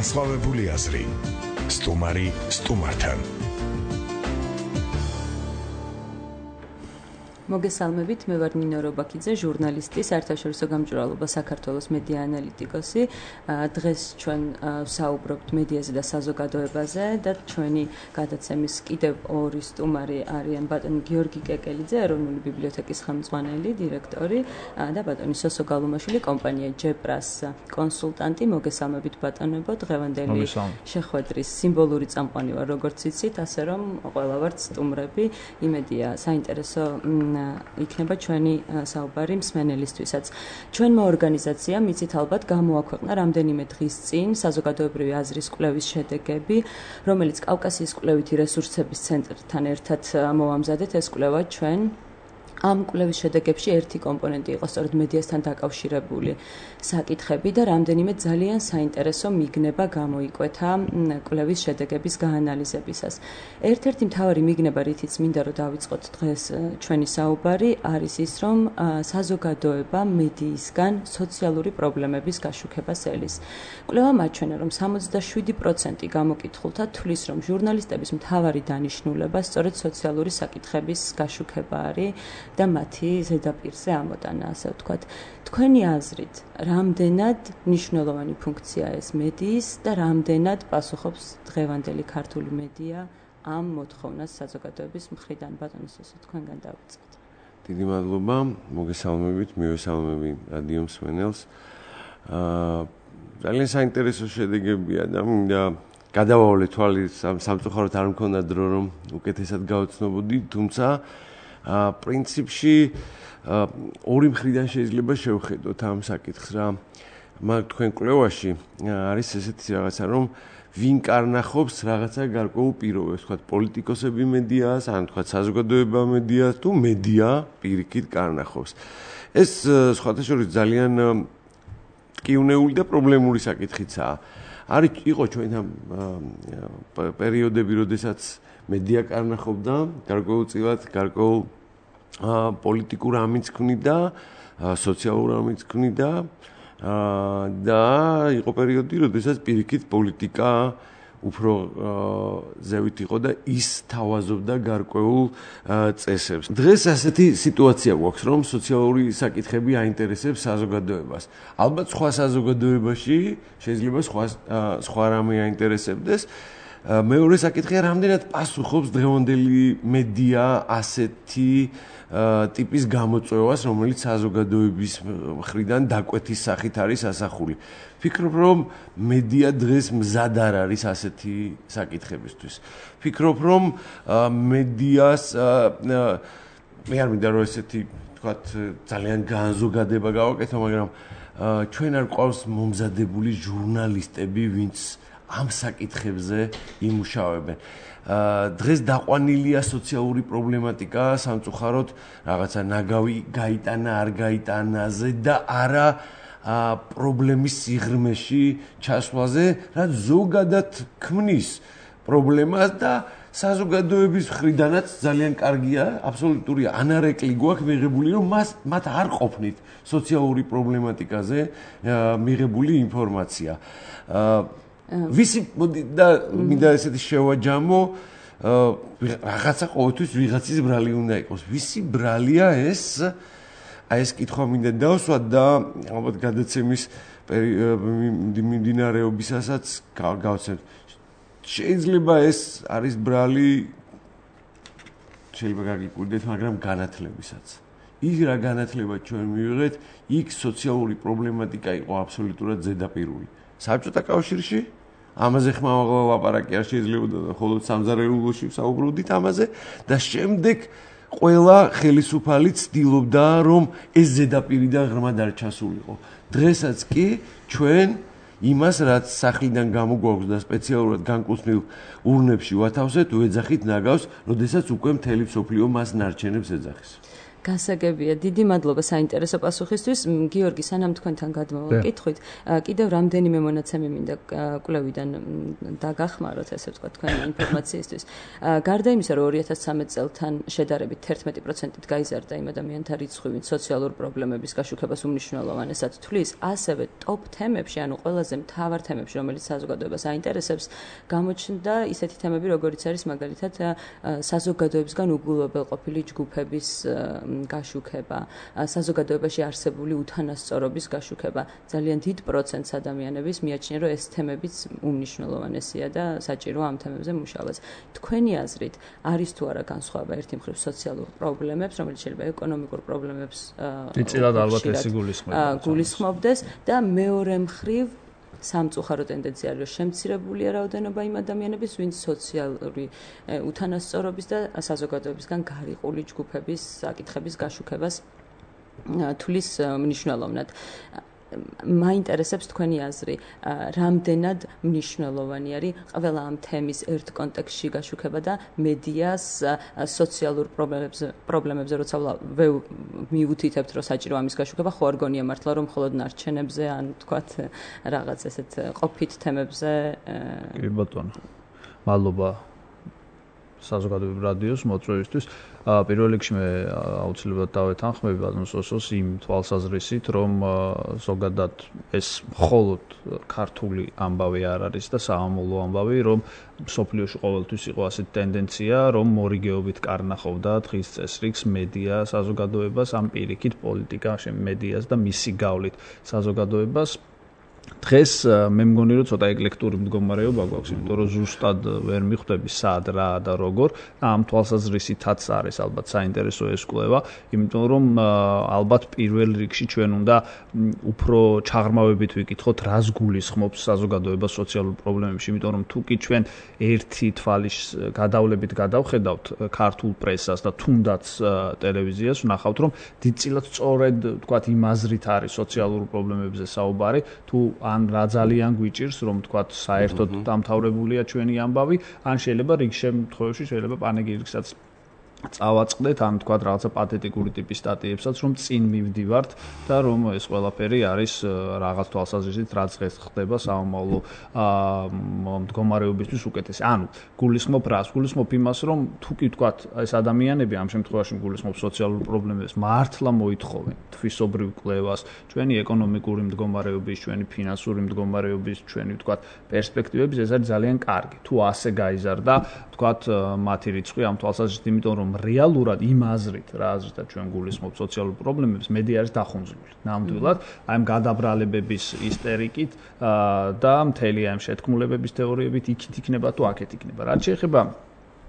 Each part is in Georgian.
განსხვავებული აზრი. სტუმარი სტუმართან. მოგესალმებით, მე ვარ ნინო რობაქიძე, ჟურნალისტი, საერთაშორისო გამჭვირვალობა საქართველოს მედია ანალიტიკოსი. დღეს ჩვენ ვსაუბრობთ მედიაზე და საზოგადოებაზე და ჩვენი გადაცემის კიდევ ორი სტუმარი არიან ბატონი გიორგი კეკელიძე, ეროვნული ბიბლიოთეკის ხელმძღვანელი, დირექტორი და ბატონი სოსო გალუმაშვილი, კომპანია ჯეპრას კონსულტანტი. მოგესალმებით ბატონებო, დღევანდელი შეხვედრის სიმბოლური წამყვანი ვარ, როგორც იცით, ასე რომ ყველა ვართ სტუმრები. იმედია, საინტერესო იქნება ჩვენი საუბარი მსმენელისთვისაც. ჩვენმა ორგანიზაციამ იცით ალბათ გამოაქვეყნა რამდენიმე დღის წინ საზოგადოებრივი აზრის კვლევის შედეგები, რომელიც კავკასიის კვლევითი რესურსების ცენტრთან ერთად მოვამზადეთ ეს კვლევა ჩვენ. ამ კვლევის შედეგებში ერთი კომპონენტი იყო სწორედ მედიასთან დაკავშირებული საკითხები და რამდენიმე ძალიან საინტერესო მიგნება გამოიკვეთა კვლევის შედეგების გაანალიზებისას. ერთ-ერთი მთავარი მიგნება, რითიც მინდა რომ დავიწყოთ დღეს ჩვენი საუბარი, არის ის, რომ საზოგადოება მედიისგან სოციალური პრობლემების გაშუქებას ელის. კვლევა მაჩვენა, რომ 67% გამოკითხულთა თვლის, რომ ჟურნალისტების მთავარი დანიშნულება სწორედ სოციალური საკითხების გაშუქება არის და მათი ზედაპირზე ამოტანა, ასე ვთქვათ. თქვენი აზრით, რამდენად მნიშვნელოვანი ფუნქცია ეს მედიის და რამდენად პასუხობს დღევანდელი ქართული მედია ამ მოთხოვნას საზოგადოების მხრიდან? ბატონო სოსო, თქვენგან დავიწყოთ. დიდი მადლობა, მოგესალმებით, მივესალმები რადიო მსმენელს. ძალიან საინტერესო შედეგებია და მინდა გადავავლე თვალი სამწუხაროდ არ მქონდა დრო რომ უკეთესად გავცნობოდი, თუმცა პრინციპში ორი მხრიდან შეიძლება შევხედოთ ამ საკითხს რა. მაგ თქვენ კვლევაში არის ესეთი რაღაცა, რომ ვინ კარნახობს რაღაცა გარკვეულ პირობებს, თქვათ პოლიტიკოსები მედიას, ან თქვათ საზოგადოება მედიას, თუ მედია პირიქით კარნახობს. ეს სხვათა შორის ძალიან ტკივნეული და პრობლემური საკითხიცაა. იყო ჩვენ ამ პერიოდები, როდესაც მედია კარნახობდა გარკვეულწილად გარკვეულ პოლიტიკურ ამის ქმნიდა, სოციალურ ამის ქმნიდა და იყო პერიოდი, როდესაც პირიქით პოლიტიკა უფრო ზევით იყო და ის თავაზობდა გარკვეულ წესებს. დღეს ასეთი სიტუაცია გვაქვს, რომ სოციალური საკითხები აინტერესებს საზოგადოებას. ალბათ სხვა საზოგადოებაში შეიძლება სხვა რამე აინტერესებდეს. მეორე საკითხია, რამდენად პასუხობს დღევანდელი მედია ასეთი ტიპის გამოწვევას, რომელიც საზოგადოების მხრიდან დაკვეთის სახით არის ასახული. ფიქრობ, რომ მედია დღეს მზად არ არის ასეთი საკითხებისთვის. ფიქრობ, რომ მედიას მე არ მინდა რომ ესეთი თქვათ ძალიან განზოგადება გავაკეთო, მაგრამ ჩვენ არ ყავს მომზადებული ჟურნალისტები, ვინც ამ საკითხებზე იმუშავებენ. დღეს დაყვანილია სოციალური პრობლემატიკა, სამწუხაროდ რაღაცა ნაგავი გაიტანა, არ გაიტანაზე და არა პრობლემის სიღრმეში ჩასვლაზე, რაც ზოგადად ქმნის პრობლემას და საზოგადოების მხრიდანაც ძალიან კარგია, აბსოლუტური ანარეკლი გვაქვს მიღებული, რომ მათ არ ყოფნით სოციალური პრობლემატიკაზე მიღებული ინფორმაცია. ვისი და მინდა ესეთი შევაჯამო, რაღაცა ყოველთვის ვიღაცის ბრალი უნდა იყოს. ვისი ბრალია ეს? ეს კითხვა მინდა დავსვათ და ალბათ გადაცემის მიმდინარეობისასაც გავცემთ. შეიძლება ეს არის ბრალი, შეიძლება გაგიკვირდეთ, მაგრამ განათლებისაც. ის რა განათლება ჩვენ მივიღეთ, იქ სოციალური პრობლემატიკა იყო აბსოლუტურად ზედაპირული. საბჭოთა კავშირში ამაზე ხმამა ლაპარაკი არ შეიძლებოდა და მხოლოდ სამზარეულოში ვსაუბრობდით ამაზე და შემდეგ ყველა ხელისუფალი ცდილობდა რომ ეს ზედაპირიდან ღრმად არ ჩასულიყო. დღესაც კი ჩვენ იმას რაც სახლიდან გამოგვაქვს და სპეციალურად განკუთვნილ ურნებში ვათავსეთ, ვეძახით ნაგავს, როდესაც უკვე მთელი მსოფლიო მას ნარჩენებს ეძახის. გასაგებია. დიდი მადლობა საინტერესო პასუხისთვის. გიორგი, სანამ თქვენთან გადმოვაკითხვით, კიდევ რამდენიმე მონაცემი მინდა კვლევიდან დაგახმაროთ, ესე ვთქვათ, თქვენი ინფორმაციისთვის. გარდა იმისა, რომ 2013 წელთან შედარებით 11%-ით გაიზარდა იმ ადამიანთა რიცხვი, ვინც სოციალურ პრობლემების გაშუქებას უმნიშვნელოვანესად თვლის, ასევე ტოპ თემებში, ანუ ყველაზე მთავარ თემებში, რომელიც საზოგადოებას აინტერესებს, გამოჩნდა ისეთი თემები, როგორიც არის მაგალითად საზოგადოებისგან უგულვებელყოფილი ჯგუფების გაშუქება, საზოგადოებაში არსებული უთანასწორობის გაშუქება. ძალიან დიდ პროცენტს ადამიანების მიაჩნია, რომ ეს თემებიც უმნიშვნელოვანესია და საჭიროა ამ თემებზე მუშაობაც. თქვენი აზრით, არის თუ არა განსხვავება ერთი მხრივ სოციალურ პრობლემებს, რომელიც შეიძლება ეკონომიკურ პრობლემებს დიდწილად ალბათ ეს გულისხმობდეს და მეორე მხრივ სამწუხარო ტენდენცია არის, რომ შემცირებულია რაოდენობა იმ ადამიანების, ვინც სოციალური უთანასწორობის და საზოგადოებისგან გარიყული ჯგუფების საკითხების გაშუქებას თulis მნიშვნელოვნად. მაინტერესებს თქვენი აზრი, რამდენად მნიშვნელოვანი არის ყველა ამ თემის ერთ კონტექსტში გაშუქება და მედიას სოციალურ პრობლემებზე როცა მიუთითებთ, რომ საჭირო ამის გაშუქება, ხო არ გონია მართლა, რომ მხოლოდ ნარჩენებზე ან თქვათ რაღაც ესეთ ყოფით თემებზე. კი ბატონო. მადლობა საზოგადოებრივ რადიოს მოწვევისთვის. პირველ რიგში მე აუცილებლად დავეთანხმები ბატონ სოსოს იმ თვალსაზრისით, რომ ზოგადად ეს მხოლოდ ქართული ამბავი არ არის და საამოლო ამბავი, რომ მსოფლიოში ყოველთვის იყო ასეთი ტენდენცია, რომ მორიგეობით კარნახობდა დღის წესრიგს მედია საზოგადოებას, ამ პირიქით პოლიტიკა, მედიას და მისი გავლით საზოგადოებას. დღეს მე მგონი რომ ცოტა ეკლექტური მდგომარეობა გვაქვს, იმიტომ რომ ზუსტად ვერ მიხვდები სად რა და როგორ. ამ თვალსაზრისითაც არის ალბათ საინტერესო ეს კვლევა, იმიტომ რომ ალბათ პირველ რიგში ჩვენ უნდა უფრო ჩაღრმავებით ვიკითხოთ, რას გულისხმობს საზოგადოება სოციალურ პრობლემებში, იმიტომ რომ თუ კი ჩვენ ერთი თვალის გადავლებით გადავხედავთ ქართულ პრესას და თუნდაც ტელევიზიას, ვნახავთ რომ დიდწილად სწორედ თქვათ იმ აზრით არის სოციალურ პრობლემებზე საუბარი, თუ ან რა ძალიან გვიჭირს, რომ თქვათ საერთოდ დამთავრებულია ჩვენი ამბავი, ან შეიძლება რიგ შემთხვევებში შეიძლება პანეგირიკსაც წავაწყდეთ, ან თქვათ რაღაცა პათეტიკური ტიპის სტატიებსაც, რომ წინ მივდივართ და რომ ეს ყველაფერი არის რაღაც თვალსაზრისით, რაც დღეს ხდება საომავლო მდგომარეობისთვის უკეთესი. ანუ გულისხმობ რას? გულისხმობ იმას, რომ თუ კი თქვათ ეს ადამიანები ამ შემთხვევაში გულისხმობ სოციალურ პრობლემებს, მართლა მოითხოვენ თვისობრივ კვლევას, ჩვენი ეკონომიკური მდგომარეობის, ჩვენი ფინანსური მდგომარეობის, ჩვენი თქვათ პერსპექტივების, ეს არის ძალიან კარგი. თუ ასე გაიზარდა, თქვათ მათი რიცხვი ამ თვალსაზრისით, იმიტომ რომ რეალურად იმ აზრით, რა აზრითაც ჩვენ გულისხმობთ სოციალურ პრობლემებს, მედია არის დახუნძლული. ნამდვილად, აი ამ გადაბრალებების ისტერიკით და მთელი ამ შეთქმულებების თეორიებით იქით იქნება თუ აქეთ იქნება. რაც შეეხება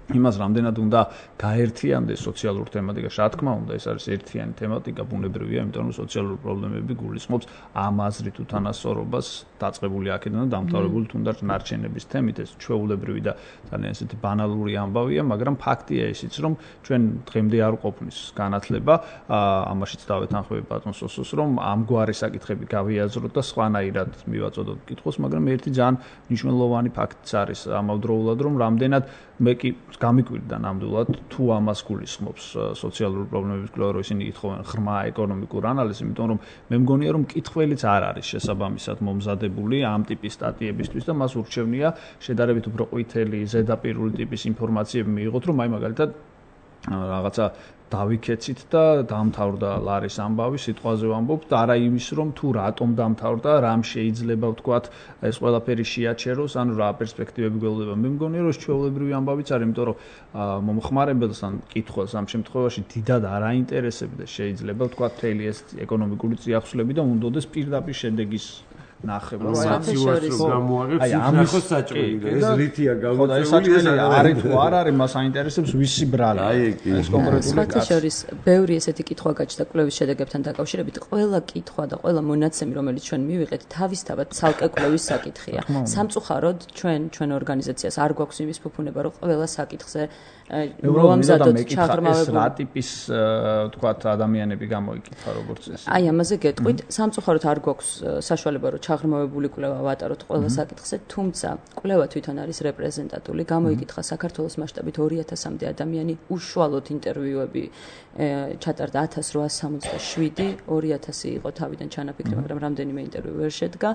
იმას რამდენად უნდა გაერთიანდეს სოციალურ თემატიკაში, რა თქმა უნდა, ეს არის ერთიანი თემატიკა, ბუნებრივია, იმიტომ რომ სოციალური პრობლემები გულისხმობს ამ აზრით უთანასწორობას, დაწყებული აქედან და დამთავრებული თუნდაც ნარჩენების თემით, ეს ჩვეულებრივი და ძალიან ესეთი ბანალური ამბავია, მაგრამ ფაქტია ისიც, რომ ჩვენ დღემდე არ ყოფნის განათლება, ამაშიც დავეთანხმები ბატონ სოსოს, რომ ამგვარი საკითხები გავიაზროთ და სხვანაირად მივაწოდოთ კითხვას, მაგრამ ერთი ძალიან მნიშვნელოვანი ფაქტიც არის ამავდროულად, რომ რამდენად მე კი გამიკვირდა ნამდვილად თუ ამას გულისხმობს სოციალური პრობლემების კვლევა, რომ ისინი ითხოვენ ღრმა ეკონომიკურ ანალიზს, იმიტომ რომ მე მგონია რომ მკითხველიც არ არის შესაბამისად მომზადებული ამ ტიპის სტატიებისთვის და მას ურჩევნია შედარებით უფრო ყვითელი, ზედაპირული ტიპის ინფორმაციები მიიღოთ, რომ აი მაგალითად რაღაცა დავიქეცით და დამთავრდა ლარის ამბავი, სიტყვაზე ვამბობ და არა იმის, რომ თუ რატომ დამთავრდა, რამ შეიძლება ვთქვათ, ეს ყველაფერი შეაჩეროს, ანუ რა პერსპექტივები გველდება. მე მგონია, რომ ჩვეულებრივი ამბავიც არის, იმიტომ რომ მომხმარებელს ან მკითხველს ამ შემთხვევაში დიდად არ აინტერესებდა შეიძლება ვთქვათ, მთელი ეს ეკონომიკური წიაღსვლები და უნდოდეს პირდაპირ შედეგის ნახება. სიტუაციას გამოაღებს, ნახოს საჭმელი. ეს რითია გამოწვეული, ეს არის თუ არ არის, მას აინტერესებს ვისი ბრალი. ეს კონკრეტული კაცი. ბევრი ესეთი კითხვა გაჩნდა კვლევის შედეგებთან დაკავშირებით. ყველა კითხვა და ყველა მონაცემი, რომელიც ჩვენ მივიღეთ, თავისთავად ცალკე კვლევის საკითხია. სამწუხაროდ ჩვენ ორგანიზაციას არ გვაქვს იმის ფუფუნება, რომ ყველა საკითხზე მოვამზადოთ ჩაღრმავებული რა ტიპის თქვათ ადამიანები გამოიკითხა როგორც ეს. აი ამაზე გეტყვით, სამწუხაროდ არ გვაქვს საშუალება, რომ ჩაღრმავებული კვლევა ვატაროთ ყველა საკითხზე, თუმცა კვლევა თვითონ არის რეპრეზენტატული, გამოიკითხა საქართველოს მასშტაბით 2000-მდე ადამიანი, უშუალოდ ინტერვიუები ჩატარდა 1867, 2000 იყო თავიდან ჩანაფიქრი, მაგრამ რამდენიმე ინტერვიუ ვერ შედგა.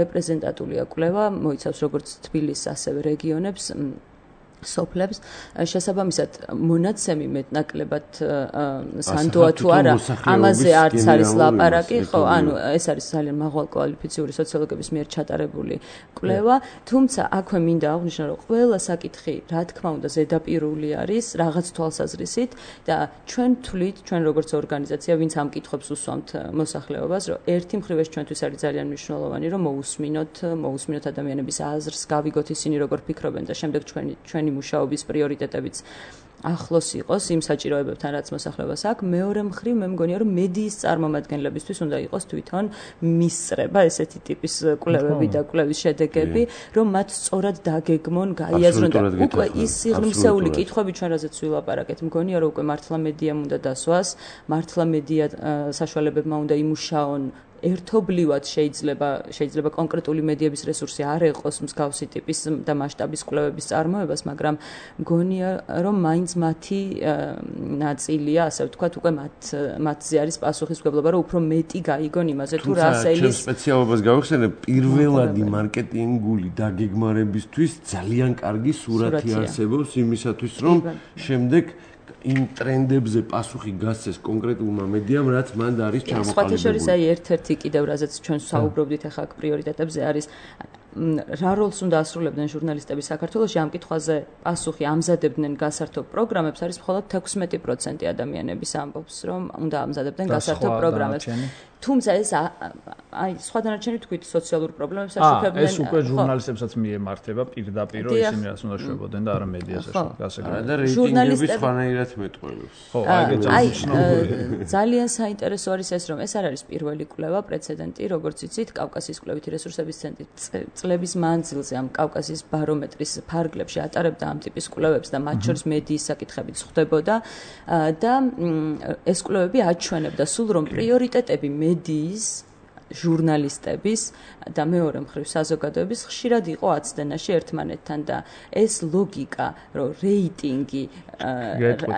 რეპრეზენტატულია კვლევა, მოიცავს როგორც თბილისს, ასევე რეგიონებს, სოფლებს. შესაბამისად, მონაცემი მეტნაკლებად სანდოა თუ არა, ამაზე არც არის ლაპარაკი, ხო, ანუ ეს არის ძალიან მაღალ კვალიფიციური სოციოლოგების მიერ ჩატარებული კვლევა, თუმცა აქვე მინდა აღვნიშნო, რომ ყველა საკითხი, რა თქმა უნდა, ზედაპირული არის რაღაც თვალსაზრისით და ჩვენ თვლით, ჩვენ როგორც ორგანიზაცია, ვინც ამ კითხვებს უსვამთ მოსახლეობას, რომ ერთი მხრივ ეს ჩვენთვის არის ძალიან მნიშვნელოვანი, რომ მოусმინოთ ადამიანების აზრს, გავიგოთ ისინი როგორ ფიქრობენ და შემდეგ ჩვენი მუშაობის პრიორიტეტებიც ახლოს იყოს იმ საჭიროებებთან, რაც მოსახლეობას აქვს. მეორე მხრივ, მე მგონია, რომ მედიის წარმომადგენლებისთვის უნდა იყოს თვითონ მისწრება ესეთი ტიპის კვლევები და კვლევის შედეგები, რომ მათ სწორად დაგეგმონ, გაიაზრონ და უკვე ის სიღრმისეული კითხვები, ჩვენ რაზეც ვილაპარაკეთ, მგონია, რომ უკვე მართლა მედიამ უნდა დასვას, მართლა მედია საშუალებებმა უნდა იმუშაონ. ერთობლივად შეიძლება კონკრეტული მედიების რესურსი არ ეყოს მსგავსი ტიპის და მასშტაბის კვლევების წარმოებას, მაგრამ მგონია, რომ მაინც მათი ნაწილია, ასე ვთქვათ, უკვე მათზე არის პასუხისმგებლობა, რომ უფრო მეტი გაიგონ იმაზე, თუ რა სელის სპეციალობას გავიხსენებ, პირველადი მარკეტინგული დაგეგმარებისთვის ძალიან კარგი სურათი არსებობს იმისათვის, რომ შემდეგ იმ ტრენდებზე პასუხი გასცეს კონკრეტულმა მედიამ, რაც მან არის ჩამოყალიბებული. სხვათა შორის ერთ-ერთი კიდევ რაზეც ჩვენ საუბრობდით ახლა პრიორიტეტებზე არის რა როლს უნდა ასრულებდნენ ჟურნალისტები საქართველოში ამ კითხვაზე პასუხი ამზადებდნენ გასართობ პროგრამებს არის მხოლოდ 16% ადამიანების ამბობს, რომ უნდა ამზადებდნენ გასართობ პროგრამებს. თუმცა ეს აი სხვა დანარჩენი თქვით სოციალურ პრობლემებს აშუქებდნენ. ეს უკვე ჟურნალისტებსაც მიემართება პირდაპირ, რომ ისინი რას უნდა შვებოდნენ და არა მედიას აშუქებდნენ. და რეიტინგები სხვანაირად მეტყველებს. ხო, აი ძალიან საინტერესო არის ეს, რომ ეს არ არის პირველი კვლევა, პრეცედენტი, როგორც იცით, კავკასიის კვლევითი რესურსების ცენტრი წლების მანძილზე ამ კავკასიის ბარომეტრის ფარგლებში ატარებდა ამ ტიპის კვლევებს და მათ შორის მედიის საკითხებიც ხდებოდა და ეს კვლევები აჩვენებდა სულ რომ პრიორიტეტები მედიის ჟურნალისტების და მეორე მხრივ საზოგადოების ხშირად იყო აცდენაში ერთმანეთთან და ეს ლოგიკა, რომ რეიტინგი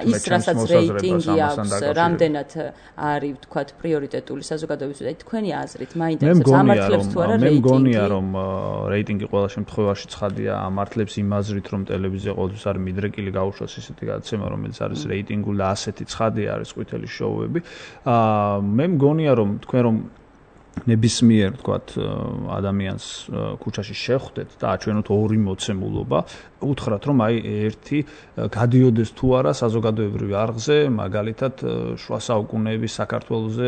ის რასაც რეიტინგი აქვს, რამდენად არის ვთქვათ პრიორიტეტული საზოგადოების და თქვენი აზრით მაინტერესებს ამართლებს თუ არა რეიტინგი? მე მგონია რომ რეიტინგი ყველა შემთხვევაში ცხადია ამართლებს იმ აზრით რომ ტელევიზია ყოველთვის არის მიდრეკილი გაუშვას ისეთი გადაცემა რომელიც არის რეიტინგული და ასეთი ცხადია არის ყვითელი შოუები. მე მგონია რომ თქვენ რომ ნებისმიერ ვთქვათ ადამიანს ქუჩაში შეხვდეთ და აჩვენოთ ორი მოცემულობა, უთხრათ რომ აი ერთი გადიოდეს თუ არა საზოგადოებრივ არხზე, მაგალითად შუა საუკუნეების საქართველოზე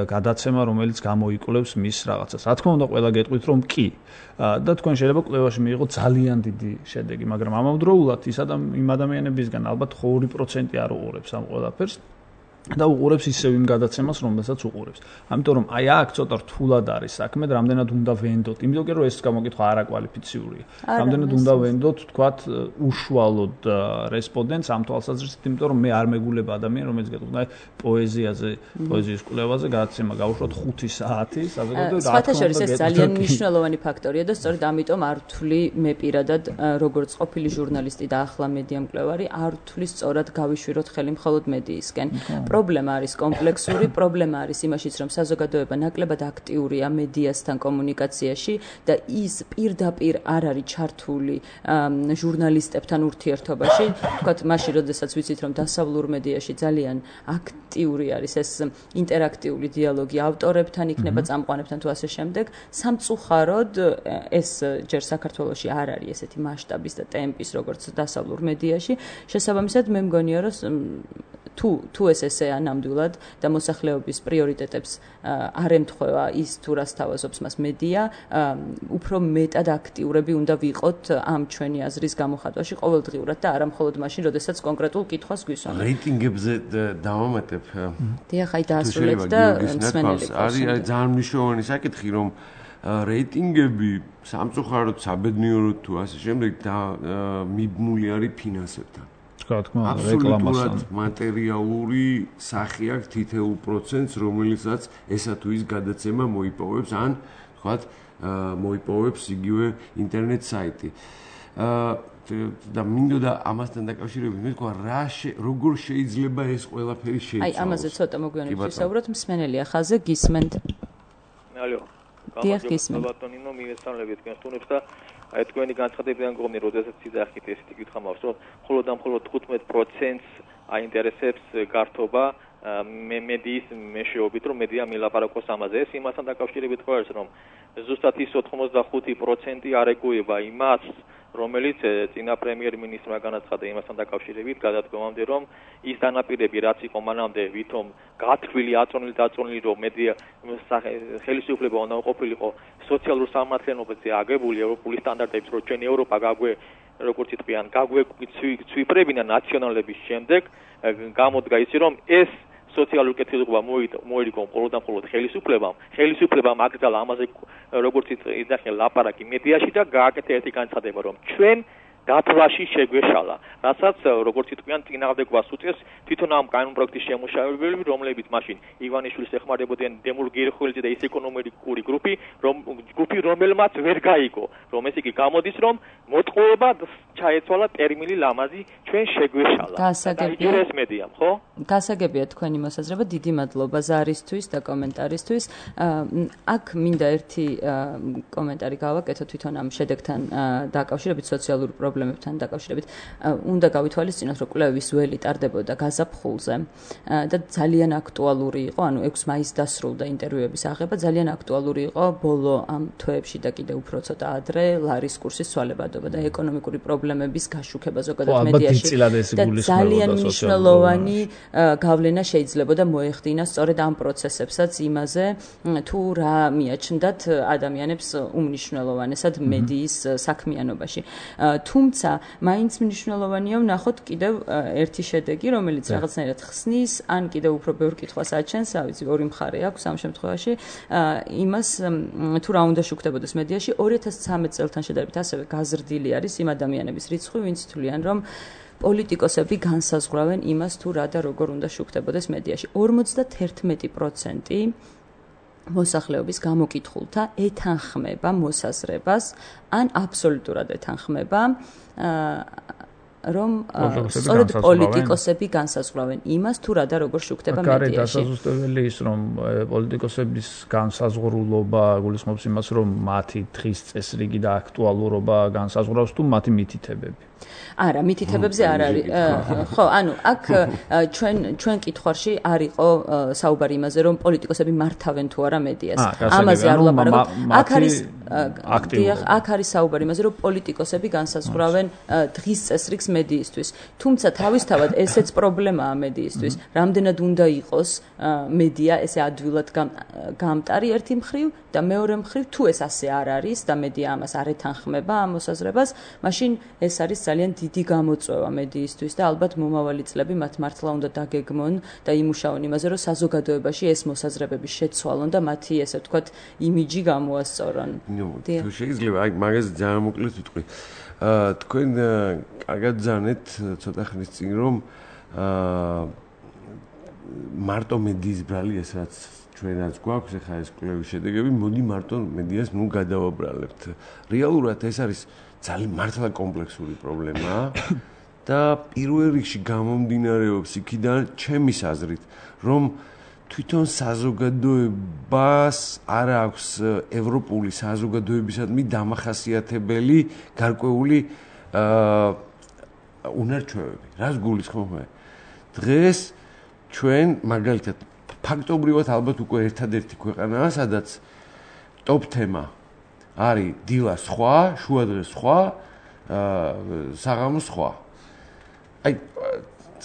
გადაცემა, რომელიც გამოიკვლევს მის რაღაცას. რა თქმა უნდა, ყველა გეტყვით რომ კი. და თქვენ შეიძლება კვლევაში მიიღოთ ძალიან დიდი შედეგი, მაგრამ ამავდროულად იმ ადამიანებისგან ალბათ 2% არ უყურებს ამ ყველაფერს. და უყურებს ისევ იმ გადაცემას, რომელსაც უყურებს. ამიტომ რომ აი აქ ცოტა რთულად არის საქმე, რამდენად უნდა ვენდოთ. იმიტომ რომ ეს გამოკითხვა არაკვალიფიციურია. რამდენად უნდა ვენდოთ, თქვათ, უშუალოდ რესპონდენტს ამ თვალსაზრისით, იმიტომ რომ მე არ მეგულება ადამიანი, რომელიც გეტყვით, აი პოეზიაზე, პოეზიის კვლევაზე გადაცემა გავუშვათ 5 საათი, საზოგადოებრივ რა თქმა უნდა, ეს ძალიან მნიშვნელოვანი ფაქტორია და სწორედ ამიტომ არ ვთვლი მე პირადად, როგორც ყოფილი ჟურნალისტი და ახლა მედია მკვლევარი, არ ვთვლი სწორად გავიშვიროთ ხელი მხოლოდ მედიისკენ. პრობლემა არის კომპლექსური, პრობლემა არის იმაშიც, რომ საზოგადოება ნაკლებად აქტიურია მედიასთან კომუნიკაციაში და ის პირდაპირ არ არის ჩართული ჟურნალისტებთან ურთიერთობაში. თქვათ, მაშინ, როდესაც ვიცით, რომ დასავლურ მედიაში ძალიან აქტიური არის ეს ინტერაქტიული დიალოგი ავტორებთან, იქნება წამყვანებთან თუ ასე შემდეგ, სამწუხაროდ ეს ჯერ საქართველოში არ არის ესეთი მასშტაბის და ტემპის, როგორც დასავლურ მედიაში. შესაბამისად, მე მგონია, რომ თუ ეს ესეა ნამდვილად და მოსახლეობის პრიორიტეტებს არ ემთხვევა ის თუ რას თავაზობს მას მედია, უფრო მეტად აქტიურები უნდა ვიყოთ ამ ჩვენი აზრის გამოხატვაში ყოველდღიურად და არა მხოლოდ მაშინ, როდესაც კონკრეტულ კითხვას გვისვამთ. რეიტინგებზე დავამატებ. დიახ, აი დაასრულეთ და მსმენელი. არის ძალიან მნიშვნელოვანი საკითხი, რომ რეიტინგები სამწუხაროდ საბედნიეროდ თუ ასე შემდეგ და მიბმული არის ფინანსებთან. აბსოლუტურად მატერიალური სახე აქვს თითოეულ პროცენტს, რომელიცაც ესა თუ ის გადაცემა მოიპოვებს, ან თქვათ, მოიპოვებს იგივე ინტერნეტ საიტი. და მინდოდა ამასთან დაკავშირებით მეთქვა როგორ შეიძლება ეს ყველაფერი შეიცვალოს. აი ამაზე ცოტა მოგვიანებით ვისაუბროთ, მსმენელი ახალზე გისმენთ. ალო. ბატონინო მიესალმებით თქვენ სტუმრებს და აი თქვენი განცხადებიდან გქონი, როდესაც იძახით ესეთი კითხვა მაქვს, რომ მხოლოდ 15%-ს აინტერესებს გართობა მედიის მეშვეობით, რომ მედია მილაპარაკოს ამაზე. ეს იმასთან დაკავშირებით ხარ, რომ ზუსტად ის 85% არ ეგუება იმას, რომელიც წინა პრემიერ-მინისტრმა განაცხადა იმასთან დაკავშირებით, გადადგომამდე, რომ ის დანაპირები, რაც იყო მანამდე, ვითომ გათვლილი, აწონილი, რომ მედია ხელისუფლება უნდა ყოფილიყო სოციალურ სამართლიანობაზე აგებული ევროპული სტანდარტებით, რომ ჩვენ ევროპა როგორც იტყვიან, გაგვეცვიფრებინა ნაციონალების შემდეგ, გამოდგა ისე, რომ ეს სოციალური კეთილდღეობა მოირიგო მხოლოდ ხელისუფლებამ აკრძალა ამაზე როგორც იძახე ლაპარაკი მედიაში და გააკეთა ერთი განცხადება, რომ ჩვენ დათვლაში შეგვეშალა, რასაც როგორც იტყვიან წინააღმდეგობას უწევს თვითონ ამ კანონპროექტის შემუშავებელი, რომლებიც მაშინ ივანიშვილის ეხმარებოდნენ დემურ გერხველიძე და ის ეკონომიკური ჯგუფი, რომელმაც ვერ გაიგო, რომ ეს იგი გამოდის, რომ მოტყუება ჩაეცვალა ტერმინი ლამაზი ჩვენ შეგვეშალა. გასაგებია მედიამ, ხო? გასაგებია თქვენი მოსაზრება, დიდი მადლობა ზარისთვის და კომენტარისთვის. აქ მინდა ერთი კომენტარი გავაკეთო თვითონ ამ შედეგთან დაკავშირებით, სოციალურ პრობლემებთან დაკავშირებით. უნდა გავითვალისწინოთ, რომ კვლევის ველი ტარდებოდა გაზაფხულზე და ძალიან აქტუალური იყო, ანუ 6 მაისს დასრულდა ინტერვიუების აღება, ძალიან აქტუალური იყო ბოლო ამ თვეებში და კიდევ უფრო ცოტა ადრე ლარის კურსის ცვალებადობა და ეკონომიკური პრობლემების გაშუქება ზოგადად მედიაში. და ძალიან მნიშვნელოვანი გავლენა შეიძლებოდა მოეხდინა სწორედ ამ პროცესებსაც იმაზე, თუ რა მიაჩნდათ ადამიანებს უმნიშვნელოვანესად მედიის საქმიანობაში. თუმცა მაინც მნიშვნელოვანია ვნახოთ კიდევ ერთი შედეგი, რომელიც რაღაცნაირად ხსნის, ან კიდევ უფრო ბევრ კითხვას აჩენს, ავიცი, ორი მხარე აქვს ამ შემთხვევაში, იმას თუ რა უნდა შუქდებოდეს მედიაში. 2013 წელთან შედარებით ასევე გაზრდილი არის იმ ადამიანების რიცხვი, ვინც თვლიან, რომ პოლიტიკოსები განსაზღვრავენ იმას, თუ რა და როგორ უნდა შუქდებოდეს მედიაში. 51% მოსახლეობის გამოკითხულთა ეთანხმება მოსაზრებას, ან აბსოლუტურად ეთანხმება, რომ სწორედ პოლიტიკოსები განსაზღვრავენ იმას, თუ რა და როგორ შუქდება მედიაში. გარეთ დასაზუსტებელი ის, რომ პოლიტიკოსების განსაზღვრულობა გულისხმობს იმას, რომ მათი დღის წესრიგი და აქტუალურობა განსაზღვრავს თუ მათი მითითებები. არა, მითითებებზე არ არის. ხო, ანუ აქ ჩვენ კითხვაში არ იყო საუბარი იმაზე, რომ პოლიტიკოსები მართავენ თუ არა მედიას. ამაზე არ ვლაპარაკობ. აქ არის საუბარი იმაზე, რომ პოლიტიკოსები განსაზღვრავენ დღის წესრიგს მედიისთვის. თუმცა თავისთავად ესეც პრობლემაა მედიისთვის. რამდენად უნდა იყოს მედია ესე ადვილად გამტარი ერთი მხრივ და მეორე მხრივ, თუ ეს ასე არ არის და მედია ამას არ ეთანხმება ამ მოსაზრებას, მაშინ ეს არის ძალიან დიდი გამოწვევა მედიისთვის და ალბათ მომავალი წლები მათ მართლა უნდა დაგეგმონ და იმუშაონ იმაზე, რომ საზოგადოებაში ეს მოსაზრებები შეცვალონ და მათი ესე ვთქვათ იმიჯი გამოასწორონ. თუ შეიძლება, აი მაგას ძალიან მოკლედ ვიტყვი. თქვენ კარგად ძანეთ ცოტა ხნის წინ, რომ მარტო მედიის ბრალი ეს რაც ჩვენაც გვაქვს, ეხლა ეს კვლევის შედეგები, მოდი მარტო მედიას ნუ გადავაბრალებთ. რეალურად ეს არის ძალიან მართლა კომპლექსური პრობლემა და პირველ რიგში გამომდინარეობს იქიდან ჩემის აზრით, რომ თვითონ საზოგადოებას არ აქვს ევროპული საზოგადოებისადმი დამახასიათებელი გარკვეული უნარჩვევები. რას გულისხმობ მე? დღეს ჩვენ მაგალითად ფაქტობრივად ალბათ უკვე ერთადერთი ქვეყანაა, სადაც ტოპ თემა არის დილა სხვა, შუადღე სხვა, საღამო სხვა. აი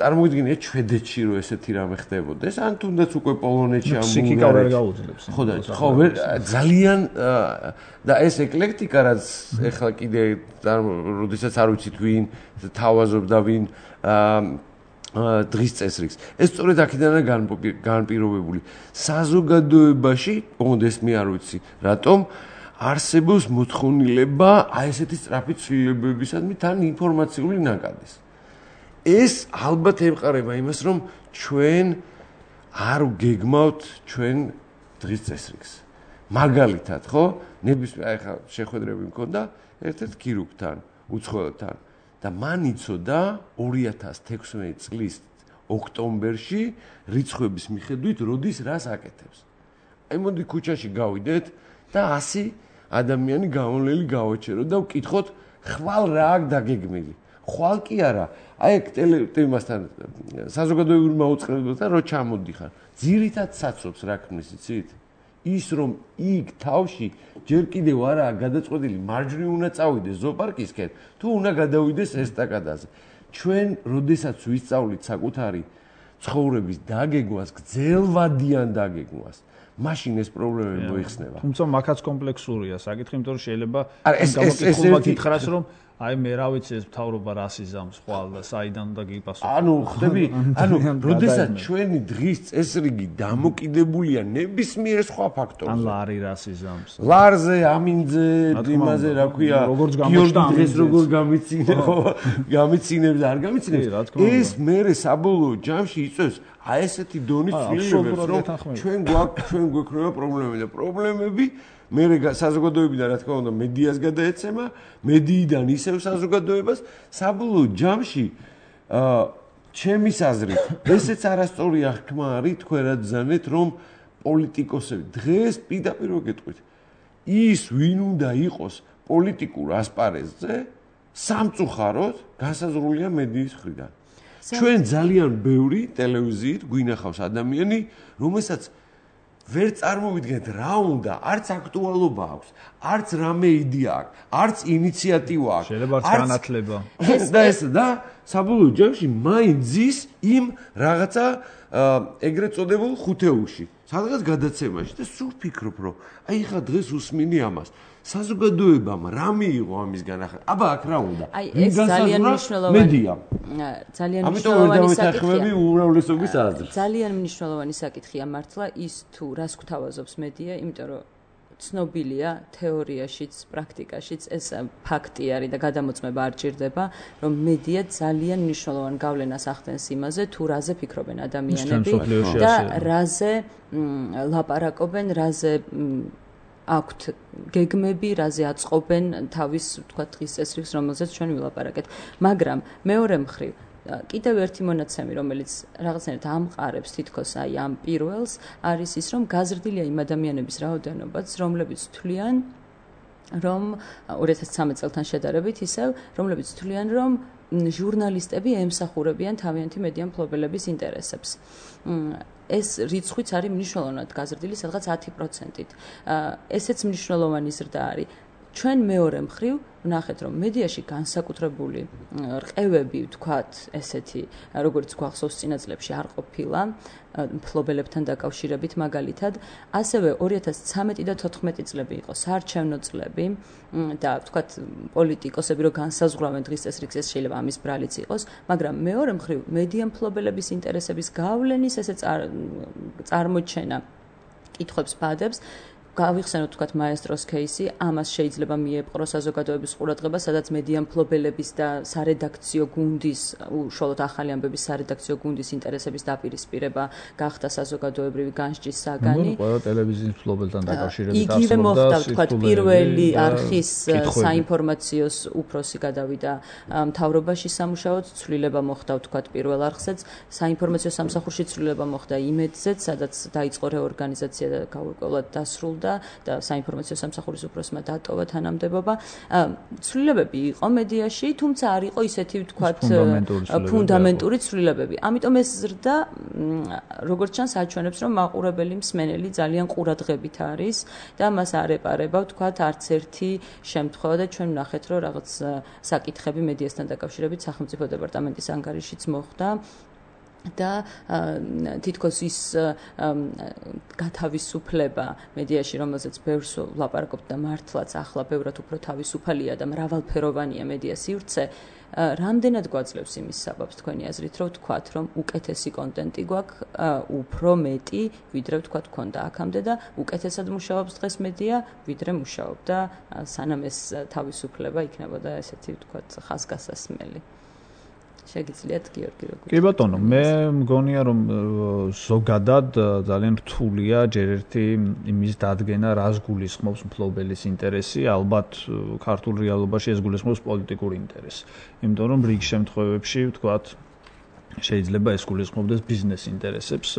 წარმოვიდგინეთ შვედეთში რომ ესეთი რამე ხდებოდეს, ან თუნდაც უკვე პოლონეთში ამ ბულგარეთში. ხო, ძალიან და ეს ეკლექტიკა რაც ეხლა კიდე როდესაც არ ვიცით ვინ თავაზობს და ვინ დღის წესრიგს. ეს სწორედ აქედანაა განპირობებული. საზოგადოებაში, მომდეს მე არ ვიცი, რატომ არსებობს მოთხოვნილება აი ესეთი სწრაფი ცვლილებებისადმი თან ინფორმაციული ნაკადის. ეს ალბათ ემყარება იმას, რომ ჩვენ არ გეგმავთ ჩვენ დღის წესრიგს. მაგალითად, ხო? ნებისმიერ ახლა შეხვედრები მქონდა ერთ-ერთ ქირურგთან, უცხოელთან და მან იცოდა 2016 წლის ოქტომბერში რიცხვების მიხედვით როდის რას აკეთებს. აი მოდი ქუჩაში გავიდეთ და 100 ადამიანი გამონლელი გავაჩეროთ და ვკითხოთ ხვალ რა აქ დაგეგმილი. ხვალ კი არა. აი ეგ ტელემასთან საზოგადოებრივ მაუწყებლობასთან რო ჩამოდიხარ. ძირითად საცობს რა ქმნის იცით? ის რომ იქ თავში ჯერ კიდევ არაა გადაწყვეტილი მარჯვნივ უნდა წავიდეს ზოოპარკისკენ თუ უნდა გადავიდეს ესტაკადაზე. ჩვენ როდესაც ვისწავლით საკუთარი ცხოვრების დაგეგმვას, გძელვადიან დაგეგმვას, მაშინ ეს პრობლემები მოიხსნება. თუმცა მაგაც კომპლექსურია საკითხი, იმიტომ რომ შეიძლება გამოკითხულმა გითხრას რომ აი მე რა ვიცი ეს მთავრობა რას იზამს ხვალ და საიდან უნდა გიპასუხო. ანუ ხდები, როდესაც ჩვენი დღის წესრიგი დამოკიდებულია ნებისმიერ სხვა ფაქტორზე. ან ლარი რას იზამს. ლარზე, ამინძე, იმაზე რა ქვია, გიორგი დღეს როგორ გამიცინე, ხო? გამიცინებს და არ გამიცინებს. ეს მერე საბოლოო ჯამში იწევს აი ესეთი დონის ცვლილებებს, რომ ჩვენ გვექნება პრობლემები და პრობლემები მე საზოგადოებიდან რა თქმა უნდა მედიას გადაეცემა, მედიიდან ისევ საზოგადოებას, საბოლოო ჯამში ჩემის აზრით, ესეც არასწორი აღქმა არის თქვენ რა ძანეთ, რომ პოლიტიკოსები დღეს პირდაპირ ვეკითხით. ის ვინ უნდა იყოს პოლიტიკურ ასპარეზზე, სამწუხაროდ განსაზღვრულია მედიის მხრიდან. ჩვენ ძალიან ბევრი ტელევიზიით გვინახავს ადამიანი, რომელსაც ვერ წარმოვიდგენთ რა უნდა, არც აქტუალობა აქვს, არც რამე იდეა აქვს, არც ინიციატივა აქვს. შეიძლება არც განათლება. და საბოლოო ჯამში მაინც ზის იმ რაღაცა ეგრეთ წოდებულ ხუთეულში, სადღაც გადაცემაში და სულ ფიქრობ, რომ აი ხა დღეს უსმინი ამას. საზოგადოებამ რა მიიღო ამისგან ახლა? აბა აქ რა უნდა? აი ეს ძალიან მნიშვნელოვანი საკითხია. უმრავლესობის აზრს. ძალიან მნიშვნელოვანი საკითხია მართლა ის თუ რას გვთავაზობს მედია, იმიტომ რომ ცნობილია თეორიაშიც, პრაქტიკაშიც ეს ფაქტი არის და გადამოწმება არ ჭირდება, რომ მედია ძალიან მნიშვნელოვან გავლენას ახდენს იმაზე, თუ რაზე ფიქრობენ ადამიანები და რაზე ლაპარაკობენ, რაზე აქვთ გეგმები, რაზე აწყობენ თავის, თქვა, დღის წესრიგს, რომელზეც ჩვენ ვილაპარაკეთ. მაგრამ მეორე მხრივ, კიდევ ერთი მონაცემი, რომელიც რაღაცნაირად ამყარებს თითქოს აი ამ პირველს, არის ის, რომ გაზრდილია იმ ადამიანების რაოდენობაც, რომლებიც თვლიან, რომ 2013 წელთან შედარებით ისევ, რომლებიც თვლიან, რომ ჟურნალისტები ემსახურებიან თავიანთი მედია მფლობელების ინტერესებს. ეს რიცხვიც არის მნიშვნელოვნად გაზრდილი, სადღაც 10%-ით. ესეც მნიშვნელოვანი ზრდა არის. ჩვენ მეორე მხრივ ვნახეთ, რომ მედიაში განსაკუთრებული რყევები, ვთქვათ, ესეთი, როგორც გვახსოვს წინა წლებში არ ყოფილა, მფლობელებთან დაკავშირებით მაგალითად, ასევე 2013 და 2014 წლები იყო საარჩევნო წლები და ვთქვათ, პოლიტიკოსები რო განსაზღვრავენ დღის წესრიგს, ეს შეიძლება ამის ბრალიც იყოს, მაგრამ მეორე მხრივ მედია მფლობელების ინტერესების გავლენის ესე წარმოჩენა კითხვებს ბადებს. გავიხსენოთ თქვათ მაესტროს кейსი, ამას შეიძლება მიეპყრო საზოგადოების ყურადღება, სადაც მედია მფლობელების და სარედაქციო გუნდის, უშუალოდ ახალი ამბების სარედაქციო გუნდის ინტერესების დაპირისპირება გახდა საზოგადოებრივი განსჯის საგანი. ყველა ტელევიზიის მფლობელთან დაკავშირებით იგივე მოხდა, თქვათ, პირველი არხის საინფორმაციოს უფროსი გადავიდა მთავრობაში სამუშაოდ, ცვლილება მოხდა, თქვათ, პირველ არხზეც, საინფორმაციო სამსახურში ცვლილება მოხდა იმედზეც, სადაც დაიწყო რეორგანიზაცია და გაურკვევლად დასრულდა და საინფორმაციო სამსახურის უფროსმა დატოვა თანამდებობა. ცვლილებები იყო მედიაში, თუმცა არ იყო ისეთი, ვთქვათ, ფუნდამენტური ცვლილებები. ამიტომ ეს ზრდა, როგორც ჩანს, აჩვენებს, რომ მაყურებელი მსმენელი ძალიან ყურადღებით არის და მას არ ეპარება, ვთქვათ, არც ერთი შემთხვევა და ჩვენ ვნახეთ, რომ რაღაც საკითხები მედიასთან დაკავშირებით სახელმწიფო დეპარტამენტის ანგარიშიც მოხდა. და თითქოს ის გათავისუფლება მედიაში, რომელზეც ბევრს ვლაპარაკობთ და მართლაც ახლა ბევრად უფრო თავისუფალია და მრავალფეროვანია მედია სივრცე, რამდენად გვაძლევს იმის საბაბს თქვენი აზრით, რომ ვთქვათ, რომ უკეთესი კონტენტი გვაქვს, უფრო მეტი, ვიდრე ვთქვათ, გქონდა აქამდე და უკეთესად მუშაობს დღეს მედია, ვიდრე მუშაობდა, სანამ ეს თავისუფლება იქნებოდა ესეთი, ვთქვათ, ხაზგასასმელი. შეგიძლიათ გიორგი როგორ? კი ბატონო, მე მგონია რომ ზოგადად ძალიან რთულია ჯერ ერთი იმის დადგენა, რას გულისხმობს მფლობელის ინტერესი, ალბათ ქართულ რეალობაში ეს გულისხმობს პოლიტიკურ ინტერესს. იმიტომ რომ რიგ შემთხვევებში ვთქვათ შეიძლება ეს გულისხმობდეს ბიზნეს ინტერესებს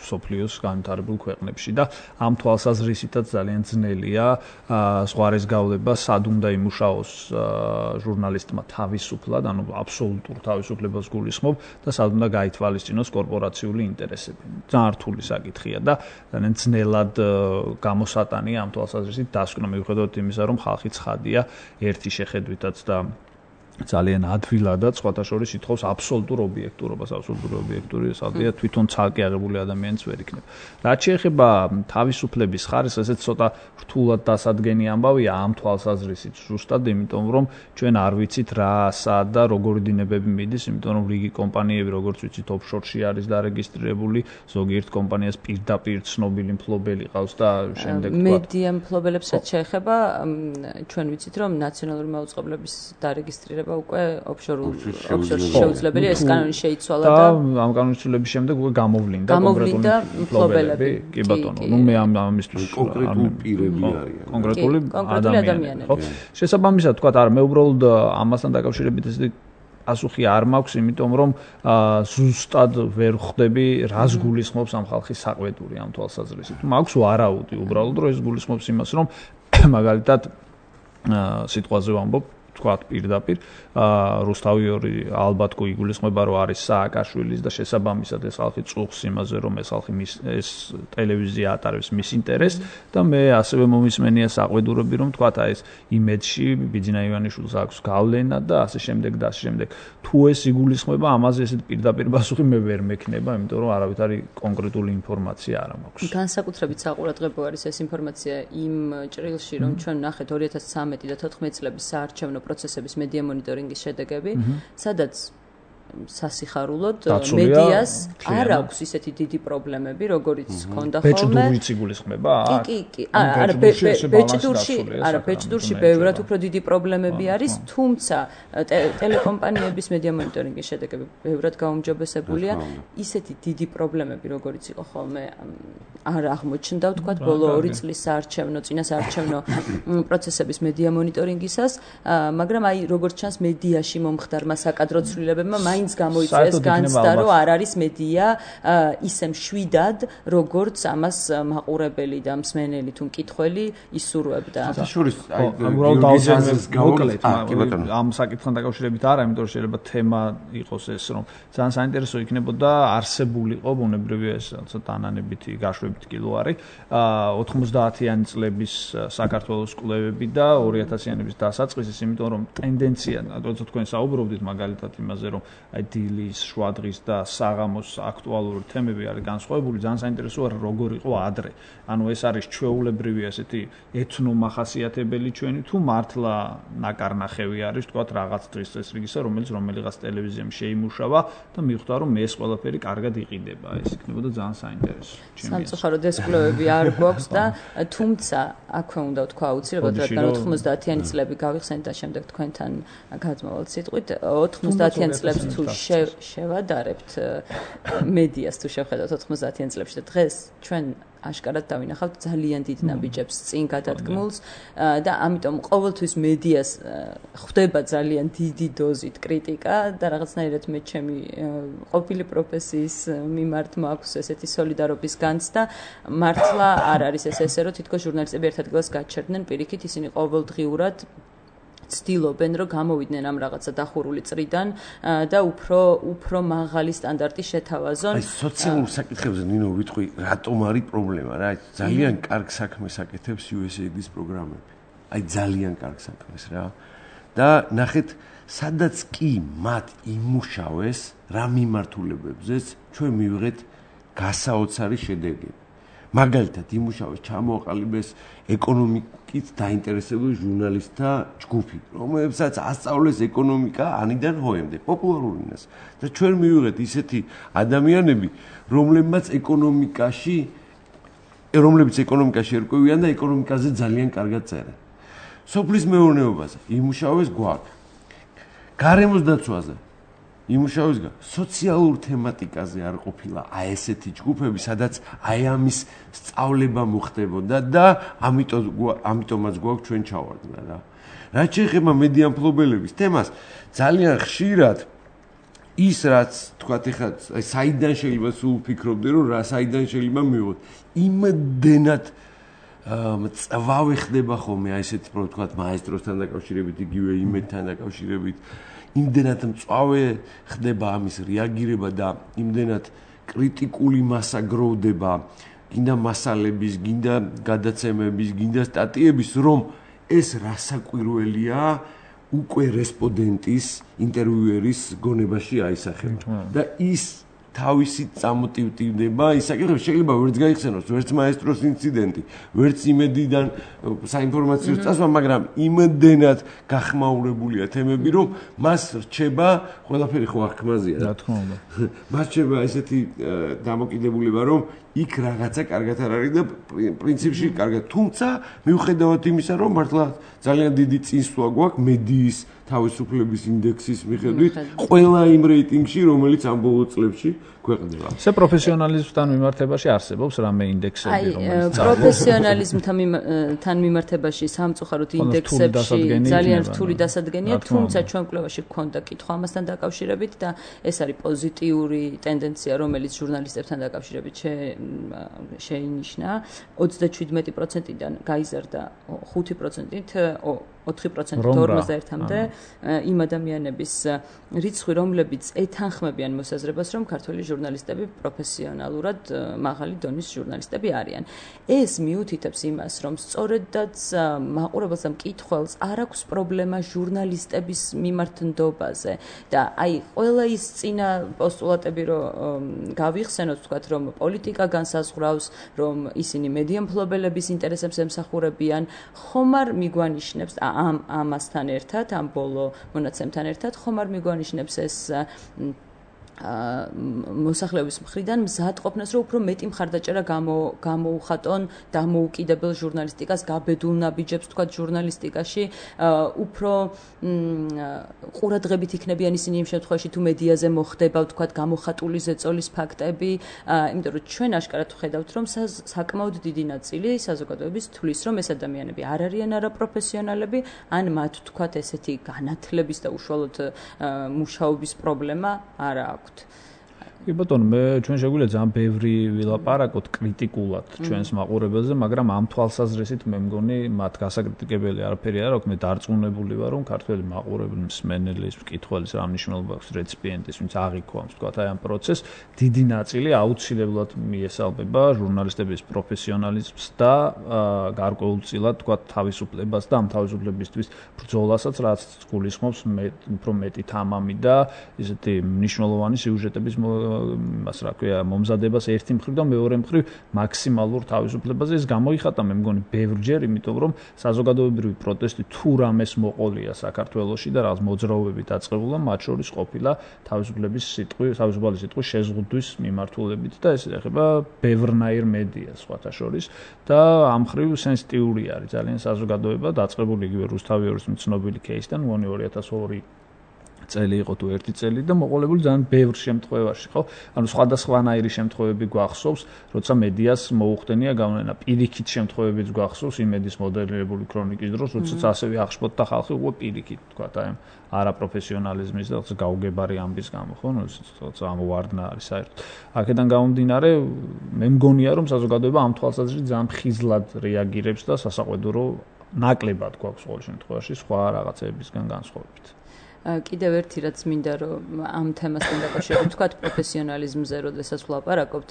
სოფლიოს განვითარებულ ქვეყნებში და ამ თვალსაზრისითაც ძალიან ძნელია ზღვარეს გავლება სად უნდა იმუშაოს ჟურნალისტმა თავისუფლად, ანუ აბსოლუტურ თავისუფლებას გულისხმობ და სად უნდა გაითვალისწინოს კორპორაციული ინტერესები. ძალიან რთული საკითხია და ძალიან ძნელად გამოსატანია ამ თვალსაზრისით დასკვნა მიუხედავად იმისა, რომ ხალხი ცხადია ერთი შეხედვითაც და ძალიან ადვილადად სხვათა შორის ითხოვს აბსოლუტურ ობიექტურობას, აბსოლუტური ობიექტურობასადია თვითონ ცალკე აღებული ადამიანიც ვერ იქნება. რაც შეეხება თავისუფლების ხარისხს, ესეც ცოტა რთულად დასადგენი ამბავია ამ თვალსაზრისით, ზუსტად იმიტომ რომ ჩვენ არ ვიცით რა, სად და როგორი დინებები მიდის, იმიტომ რომ რიგი კომპანიები, როგორც ვიცით, ოფშორში არის დარეგისტრირებული, ზოგიერთ კომპანიას პირდაპირ ცნობილი მფლობელი ყავს და შემდეგ თქვა. მედია მფლობელებს რაც შეეხება, ჩვენ ვიცით რომ ნაციონალური მაუწყებლობის დარეგისტრირება უკვე ოფშორში შეუძლებელია, ეს კანონი შეიცვალა და ამ კანონის ცვლილების შემდეგ უკვე გამოვლინდა მფლობელები. კი ბატონო, ნუ მე ამისთვის კონკრეტული პირები არიან. კონკრეტული ადამიანები, ხო? შესაბამისად, თქვა, არა, მე უბრალოდ ამასთან დაკავშირებით ესეთი პასუხი არ მაქვს, იმიტომ რომ ზუსტად ვერ ხვდები, რას გულისხმობს ამ ხალხის საყვედური ამ თვალსაზრისით. მაქვს ვარაუდი, უბრალოდ რომ ეს გულისხმობს იმას, რომ მაგალითად სიტყვაზე ვამბობ თქვათ პირდაპირ რუსთავი ალბათ გულისხმება რომ არის სააკაშვილის და შესაბამისად ეს ხალხი წუხს იმაზე რომ ეს ხალხი ეს ტელევიზია ატარებს მის ინტერესს და მე ასევე მომისმენია საყვედურები რომ თქვათ აი ეს იმედში ბიძინა ივანიშვილს აქვს გავლენა და ასე შემდეგ და ასე შემდეგ თუ ეს იგულისხმება ამაზე ესეთ პირდაპირ პასუხი მე ვერ მექნება იმიტომ რომ არავითარი კონკრეტული ინფორმაცია არ მაქვს განსაკუთრებით საყურადღებო არის ეს ინფორმაცია იმ ჭრილში რომ ჩვენ ნახეთ 2013 და 14 წლების საარჩევნო პროცესების მედია მონიტორინგის შედეგები, სადაც სასიხარულოდ მედიას არ აქვს ისეთი დიდი პრობლემები, როგორიც ჰქონდა ხოლმე. ბეჭდურიც იგულისხმება? კი. არა, ბეჭდურში ბევრად უფრო დიდი პრობლემები არის, თუმცა ტელეკომპანიების მედია მონიტორინგის შედეგები ბევრად გაუმჯობესებულია. ისეთი დიდი პრობლემები, როგორიც იყო ხოლმე, არ აღმოჩნდა, ვთქვათ, ბოლო 2 წლის საარჩევნო, წინა საარჩევნო პროცესების მედია მონიტორინგისას, მაგრამ აი როგორც ჩანს მედიაში მომხდარმა საკადრო ცვლილებებმა მაინც გამოიწვია ეს განცდა, რომ არ არის მედია ისე მშვიდად, როგორც ამას მაყურებელი და მსმენელი თუ მკითხველი ისურვებდა. შორის აი მოკლედ ამ საკითხთან დაკავშირებით არა, იმიტომ რომ შეიძლება თემა იყოს ეს, რომ ძალიან საინტერესო იქნებოდა არსებულიყო ბუნებრივია ეს ცოტა ანანებითი გაშვებითი კილოარი 90-იანი წლების საქართველოს კვლევები და 2000-იანების დასაწყისის, იმიტომ რომ ტენდენცია, როცა თქვენ საუბრობდით მაგალითად იმაზე, რომ აი დილის, შუადღის და საღამოს აქტუალური თემები არის განსხვავებული, ძალიან საინტერესოა როგორ იყო ადრე. ანუ ეს არის ჩვეულებრივი ასეთი ეთნომახასიათებელი ჩვენი თუ მართლა ნაკარნახევი არის, თქვათ, რაღაც დღის წესრიგისა, რომელიღაც ტელევიზიამ შეიმუშავა და მიხვდა, რომ ეს ყველაფერი კარგად იყიდება. ეს იქნებოდა ძალიან საინტერესო. სამწუხაროდ ეს კვლევები არ გვაქვს და თუმცა აქვე უნდა ვთქვა აუცილებლად, რადგან 90-იანი წლები გავიხსენეთ და შემდეგ თქვენთან გადმოვალთ სიტყვით, 90-იანი წლებს თუ შევადარებთ მედიას თუ შევხედავთ 90-იან წლებში და დღეს ჩვენ აშკარად დავინახავთ ძალიან დიდ ნაბიჯებს წინ გადადგმულს და ამიტომ ყოველთვის მედიას ხვდება ძალიან დიდი დოზით კრიტიკა და რაღაცნაირად მე ჩემი ყოფილი პროფესიის მიმართ მაქვს ესეთი სოლიდარობის განცდა მართლა არ არის ესე რომ თითქოს ჟურნალისტები ერთ ადგილას გაჩერდნენ პირიქით ისინი ყოველდღიურად ცდილობენ რომ გამოვიდნენ ამ რაღაცა დახურული წრიდან და უფრო მაღალი სტანდარტი შეთავაზონ. აი სოციალურ საკითხებზე ნინო ვიტყვი რატომ არის პრობლემა რა? ძალიან კარგ საქმეს აკეთებს USAID-ის პროგრამები. აი ძალიან კარგ საქმეს რა. და ნახეთ სადაც კი მათ იმუშავეს რა მიმართულებებზეც ჩვენ მივიღეთ გასაოცარი შედეგები. მაგალითად იმუშავეს ჩამოაყალიბეს ეკონომიკით დაინტერესებული ჟურნალისტთა ჯგუფი, რომლებსაც ასწავლეს ეკონომიკა ანიდან ჰოემდე, პოპულარულ ენას. და ჩვენ მივიღეთ ისეთი ადამიანები, რომლებიც ეკონომიკაში ერკვევიან და ეკონომიკაზე ძალიან კარგად წერენ. სოფლის მეურნეობაზე იმუშავეს გვაქვს. გარემოს დაცვაზე იმუშავის სოციალურ თემატიკაზე არ ყოფილა ესეთი ჯგუფები, სადაც აი ამის სწავლება მოხდებოდა და ამიტომაც გვაქვს ჩვენ ჩავარდნა რა. რაც შეეხება მედიამფლობელების თემას, ძალიან ხშირად ის რაც თქვათ ეხლა აი საიდან შეიძლება სულ ვფიქრობდი რომ რა საიდან შეიძლება მივიღოთ იმდენად წვავე ხდება ხოლმე აი ესეთი რო თქვათ მაესტროსთან დაკავშირებით იგივე იმედთან დაკავშირებით იმდენად მწვავე ხდება ამის რეაგირება და იმდენად კრიტიკული მასა გროვდება გინდა მასალების, გინდა გადაცემების, გინდა სტატიების რომ ეს რასაკვირველია უკვე რესპონდენტის ინტერვიუერის გონებაში აისახება და ის თავისი წამოტივტივდება ისაკითხებს შეიძლება ვერც გაიხსენოს ვერც მაესტროს ინციდენტი ვერც იმედიდან საინფორმაციო წასვლა მაგრამ იმდენად გახმაურებულია თემები რომ მას რჩება ყველაფერი ხო აღქმაზია რა თქმა უნდა მას რჩება ესეთი დამოკიდებულება რომ იქ რაღაცა კარგად არ არის და პრინციპში კარგად თუმცა მიუხედავად იმისა რომ მართლა ძალიან დიდი წინსვლა გვაქვს მედიის თავისუფლების ინდექსის მიხედვით ყველა იმ რეიტინგში რომელიც ამ ბოლო წლებში ქვეყნდება. ესე პროფესიონალიზმთან მიმართებაში არსებობს რამე ინდექსები რომელიც პროფესიონალიზმთან მიმართებაში სამწუხაროდ ინდექსებში ძალიან რთული დასადგენია თუმცა ჩვენ კვლევაში გქონდა კითხვა ამასთან დაკავშირებით და ეს არის პოზიტიური ტენდენცია რომელიც ჟურნალისტებთან დაკავშირებით შეინიშნა 37%-დან გაიზარდა 5%-ით 4% 41-მდე იმ ადამიანების რიცხვი რომლებიც ეთანხმებიან მოსაზრებას რომ ქართველი ჟურნალისტები პროფესიონალურად მაღალი დონის ჟურნალისტები არიან. ეს მიუთითებს იმას, რომ სწორედაც მაყურებელს და მკითხველს არ აქვს პრობლემა ჟურნალისტების მიმართნდობაზე და აი ყველა ის წინა პოსტულატები რომ გავიხსენოთ, ვთქვათ, რომ პოლიტიკა განსაზღვრავს, რომ ისინი მედიამფლობელების ინტერესებს ემსახურებიან, ხომ არ მიგვანიშნებს ამასთან ერთად, ამ ბოლო მონაცემთან ერთად, ხომ არ მიგვანიშნებს ეს მოსახლეობის მხრიდან მზადყოფნას, რომ უფრო მეტი მხარდაჭერა გამოუხატონ დამოუკიდებელ ჟურნალისტიკას, გაბედულ ნაბიჯებს, თქვათ, ჟურნალისტიკაში, უფრო ყურადღებით იქნებიან ისინი იმ შემთხვევაში, თუ მედიაზე მოხდება, თქვათ, გამოხატული ზეწოლის ფაქტები, იმიტომ რომ ჩვენ აშკარად ვხედავთ, რომ საკმაოდ დიდი ნაწილი საზოგადოების თვლის, რომ ეს ადამიანები არ არიან არაპროფესიონალები, ან მათ, თქვათ, ესეთი განათლების და უშუალოდ მუშაობის პრობლემა არ აქვს. კი ბატონო, ჩვენ შეგვიძლია ძალიან ბევრი ვილაპარაკოთ კრიტიკულად ჩვენს მაყურებელზე, მაგრამ ამ თვალსაზრისით მე მგონი მათ გასაკრიტიკებელი არაფერი არ აქვს, მე დარწმუნებული ვარ, რომ ქართველი მაყურებელი, მსმენელის, მკითხველის რა მნიშვნელობა აქვს რეციპიენტის, ვინც აღიქვამს, თქვათ, აი ამ პროცესს, დიდი ნაწილი აუცილებლად მიესალმება ჟურნალისტების პროფესიონალიზმს და გარკვეულწილად, თქვათ, თავისუფლებას და ამ თავისუფლებისთვის ბრძოლასაც, რაც გულისხმობს უფრო მეტი თამამი და ესეთი მნიშვნელოვანი სიუჟეტების მას რა ქვია მომზადებას ერთი მხრივ და მეორე მხრივ მაქსიმალურ თავისუფლებაზე ეს გამოიხატა მე მგონი ბევრჯერ იმიტომ რომ საზოგადოებრივი პროტესტი თუ რამეს მოყოლია საქართველოში და რაღაც მოძრაობები დაწყებულა მათ შორის ყოფილა თავისუფლების თავისუფალი სიტყვის შეზღუდვის მიმართულებით და ეს ეხება ბევრნაირ მედიას სხვათა შორის და ამ მხრივ სენსიტიური არის ძალიან საზოგადოება დაწყებული იგივე რუსთავიორის ცნობილი кейსიდან მგონი 2002 წელი იყო თუ ერთი წელი და მოყოლებული ძალიან ბევრ შემთხვევაში, ხო? ანუ სხვადასხვანაირი შემთხვევები გვახსოვს, როცა მედიას მოუხდენია გავლენა. პირიქით შემთხვევებიც გვახსოვს იმედის მოდელირებული ქრონიკის დროს, როდესაც ასევე აღშფოთდა ხალხი უკვე პირიქით, თქვათ, აი არაპროფესიონალიზმის და გაუგებარი ამბის გამო, ხო? როცა ამოვარდნა არის საერთოდ. აქედან გამომდინარე, მე მგონია, რომ საზოგადოება ამ თვალსაზრისით ძალიან ხიზლად რეაგირებს და სასაყვედურო ნაკლებად გვაქვს ყოველ შემთხვევაში სხვა რაღაცეებისგან განსხვავებით. კიდევ ერთი რაც მინდა რომ ამ თემასთან დაკავშირებით ვთქვათ პროფესიონალიზმზე, როდესაც ვლაპარაკობთ,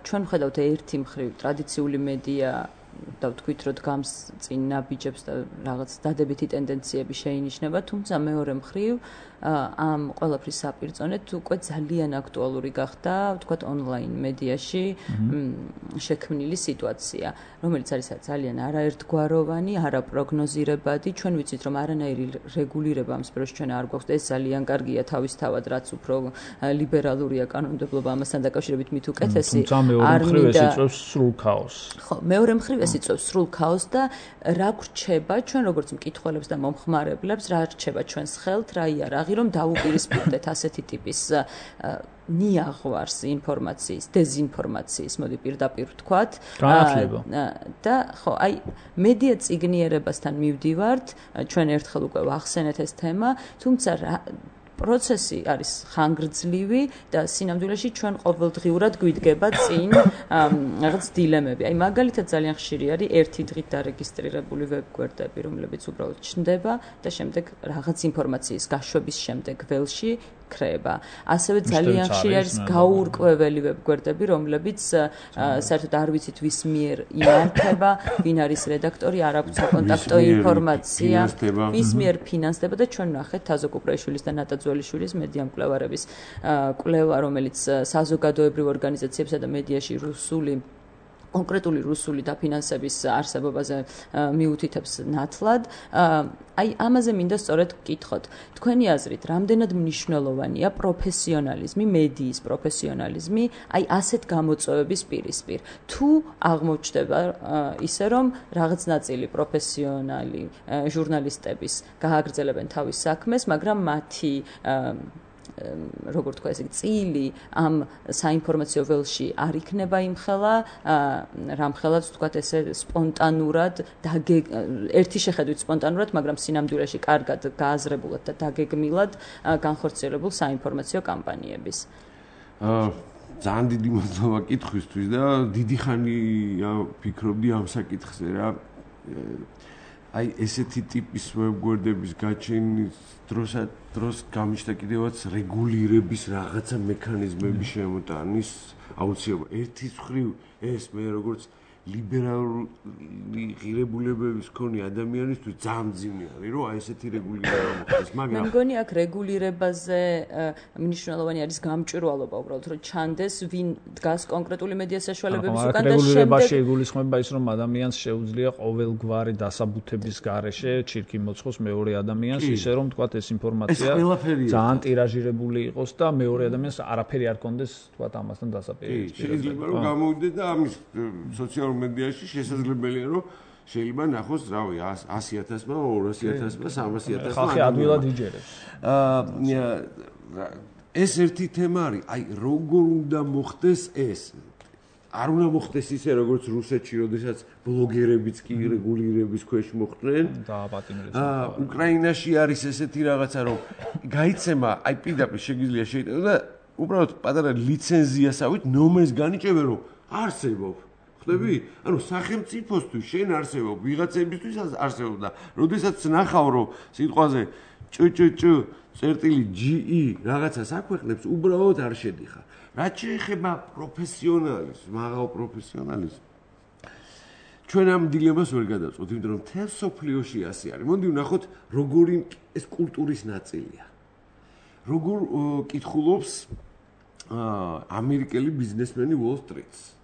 ჩვენ ვხედავთ ერთი მხრივ ტრადიციული მედია და ვთქვით, რომ დგამს წინ ნაბიჯებს და რაღაც დადებითი ტენდენციები შეინიშნება, თუმცა მეორე მხრივ ამ ყველაფრის საპირწონედ უკვე ძალიან აქტუალური გახდა, ვთქვათ, ონლაინ მედიაში შექმნილი სიტუაცია, რომელიც არის ძალიან არაერთგვაროვანი, არაპროგნოზირებადი. ჩვენ ვიცით, რომ არანაირი რეგულირება ამ სფეროში ჩვენ არ გვაქვს და ეს ძალიან კარგია თავისთავად, რაც უფრო ლიბერალურია კანონმდებლობა ამასთან დაკავშირებით მით უკეთესი. თუმცა მეორე მხრივ ეს იწვევს სრულ ქაოსს. ხო, მეორე მხრივ ეს ეს იწვევს სრულ ქაოსს და რა გვრჩება ჩვენ როგორც მკითხველებს და მომხმარებლებს, რა რჩება ჩვენს ხელთ, რა იარაღი რომ დაუპირისპირდეთ ასეთი ტიპის ნიაღვარს ინფორმაციის, დეზინფორმაციის, მოდი პირდაპირ ვთქვათ. და ხო, აი მედია წიგნიერებასთან მივდივართ, ჩვენ ერთხელ უკვე ვახსენეთ ეს თემა, თუმცა პროცესი არის ხანგრძლივი და სინამდვილეში ჩვენ ყოველდღიურად გვიდგება წინ რაღაც დილემები. აი მაგალითად ძალიან ხშირი არის ერთი დღით დარეგისტრირებული ვებგვერდები, რომლებიც უბრალოდ ჩნდება და შემდეგ რაღაც ინფორმაციის გაშვების შემდეგ ველში ქრება. ასევე ძალიან ხშირი არის გაურკვეველი ვებგვერდები, რომლებიც საერთოდ არ ვიცით ვის მიერ იმართება, ვინ არის რედაქტორი, არ აქვს საკონტაქტო ინფორმაცია, ვის მიერ ფინანსდება და ჩვენ ნახეთ თაზო კუპრაშვილის და ნატა ძველიშვილის მედია მკვლევარების კვლევა, რომელიც საზოგადოებრივ ორგანიზაციებსა და მედიაში კონკრეტული რუსული დაფინანსების არსებობაზე მიუთითებს ნათლად. აი ამაზე მინდა სწორედ ვკითხოთ. თქვენი აზრით, რამდენად მნიშვნელოვანია პროფესიონალიზმი, მედიის პროფესიონალიზმი, აი ასეთ გამოწვევების პირისპირ. თუ აღმოჩნდება ისე, რომ რაღაც ნაწილი პროფესიონალი ჟურნალისტების გააგრძელებენ თავის საქმეს, მაგრამ მათი როგორ თქვა ესე წილი ამ საინფორმაციო ველში არ იქნება იმხელა, რამხელაც თქვა ესე სპონტანურად ერთი შეხედვით სპონტანურად, მაგრამ სინამდვილეში კარგად გააზრებულად და დაგეგმილად განხორციელებულ საინფორმაციო კამპანიების. ძალიან დიდი მადლობა კითხვისთვის და დიდი ხანია ვფიქრობდი ამ საკითხზე რა. აი ესეთი ტიპის ვებგვერდების გაჩენის დროს გამიჩნდა კიდევაც რეგულირების რაღაცა მექანიზმები შემოტანის აუცილებლობა. ერთი მხრივ ეს მე როგორც ლიბერალური ღირებულებების მქონე ადამიანისთვის ძალიან მძიმე არის, რომ აი ესეთი რეგულირება მოხდეს, მაგრამ მე მგონი აქ რეგულირებაზე მნიშვნელოვანი არის გამჭვირვალობა უბრალოდ, რომ ჩანდეს ვინ დგას კონკრეტული მედია საშუალებების უკან და რეგულირებაში იგულისხმება ის, რომ ადამიანს შეუძლია ყოველგვარი დასაბუთების გარეშე ჩირკი მოცხოს მეორე ადამიანს, ისე რომ თქვათ ეს ინფორმაცია ძალიან ტირაჟირებული იყოს და მეორე ადამიანს არაფერი არ კონდეს თქვათ ამასთან დასაპირისპირებლად. შეიძლება რომ გამოვიდეს და ამის სოციალურ მედიაში შესაძლებელია რომ შეიძლება ნახოს რავი 100,000-მა, 200,000-მა, 300,000-მა. ხალხი ადვილად იჯერებს. ეს ერთი თემა არის, აი როგორ უნდა მოხდეს ეს? არ უნდა მოხდეს ისე როგორც რუსეთში, როდესაც ბლოგერებიც კი რეგულირების ქვეშ მოხვდნენ. უკრაინაში არის ესეთი რაღაცა, რომ გაიცემა, აი პირდაპირ შეგიძლია შეიტანო და უბრალოდ პატარა ლიცენზიასავით ნომერს განიჭებენ, რომ არსებობ. ხდები? ანუ სახელმწიფოსთვის შენ არსებობ, ვიღაცებისთვის არსებობ და როდესაც ნახავ რომ სიტყვაზე ჭ.ge რაღაცას აქვეყნებს, უბრალოდ არ შედიხარ. რაც შეეხება პროფესიონალიზმს, მაღალ პროფესიონალიზმს. ჩვენ ამ დილემას ვერ გადავწყვეტ, იმიტომ რომ თელ სოფლიოში ასე არის. მოდი ვნახოთ, როგორი ეს კულტურის ნაწილია. როგორ კითხულობს ამერიკელი ბიზნესმენი Wall Street-ს.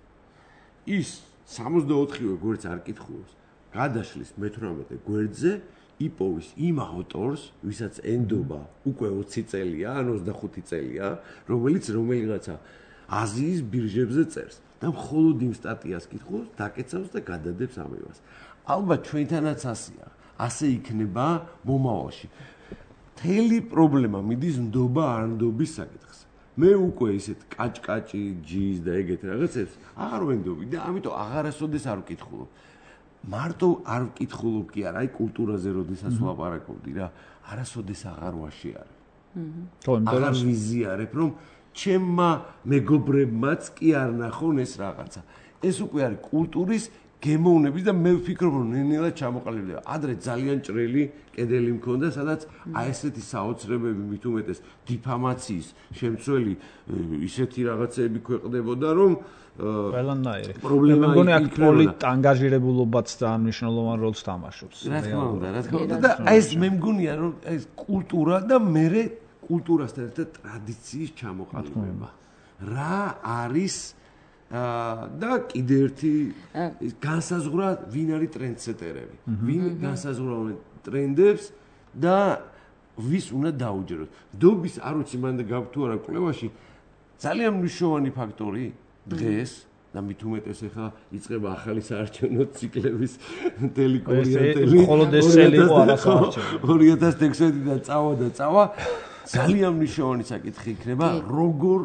ის 64-ვე გვერდს არ კითხულობს. გადაშლის მე-18 გვერდზე იპოვის იმ ავტორს, ვისაც ენდობა უკვე 20 წელია, ან 25 წელია, რომელიღაცა აზიის ბირჟებზე წერს და მხოლოდ იმ სტატიას კითხულობს, დაკეცავს და გადადებს ამებას. ალბათ ჩვენთანაც ასეა. ასე იქნება მომავალში. მთელი პრობლემა მიდის ნდობა არ ნდობის საკითხზე. მე უკვე ისეთ კაჭკაჭი, ჯის და ეგეთ რაღაცებს აღარ ვენდობი და ამიტომ აღარასოდეს არ ვკითხულობ. მარტო არ ვკითხულობ კი არა, აი კულტურაზე როდესაც ვლაპარაკობდი რა, არასოდეს აღარ ვაშიარებ. აღარ ვიზიარებ, რომ ჩემმა მეგობრებმაც კი არ ნახონ ეს რაღაცა. ეს უკვე არის კულტურის გემოვნების და მე ვფიქრობ, რომ ნენელა ჩამოყალიბდება. ადრე ძალიან ჭრელი კედელი მქონდა, სადაც აი ესეთი საოცრებები მით უმეტეს დიფამაციის შემცველი ისეთი რაღაცები ქვეყნდებოდა, რომ ყველანაირი. მე მგონი აქ პოლიტანგაჟირებულობაც ძალიან მნიშვნელოვან როლს თამაშობს. რა თქმა უნდა. და ეს მე მგონია, რომ ეს კულტურა და მერე კულტურასთან ერთად ტრადიციის ჩამოყალიბება. რა არის და კიდე ერთი განსაზღვრა ვინ არის ტრენდსეტერები. ვინ განსაზღვრავენ ტრენდებს და ვის უნდა დაუჯეროთ. დობის არ ვიცი მანდ გავთუ არა კვლევაში ძალიან მნიშვნელოვანი ფაქტორი დღეს და მით უმეტეს ახლა იწყება ახალი საარჩევნო ციკლების ტელეკორიენტელი. მხოლოდ ეს წელი იყო არასაარჩევნო. 2016-დან წავა ძალიან მნიშვნელოვანი საკითხი იქნება, როგორ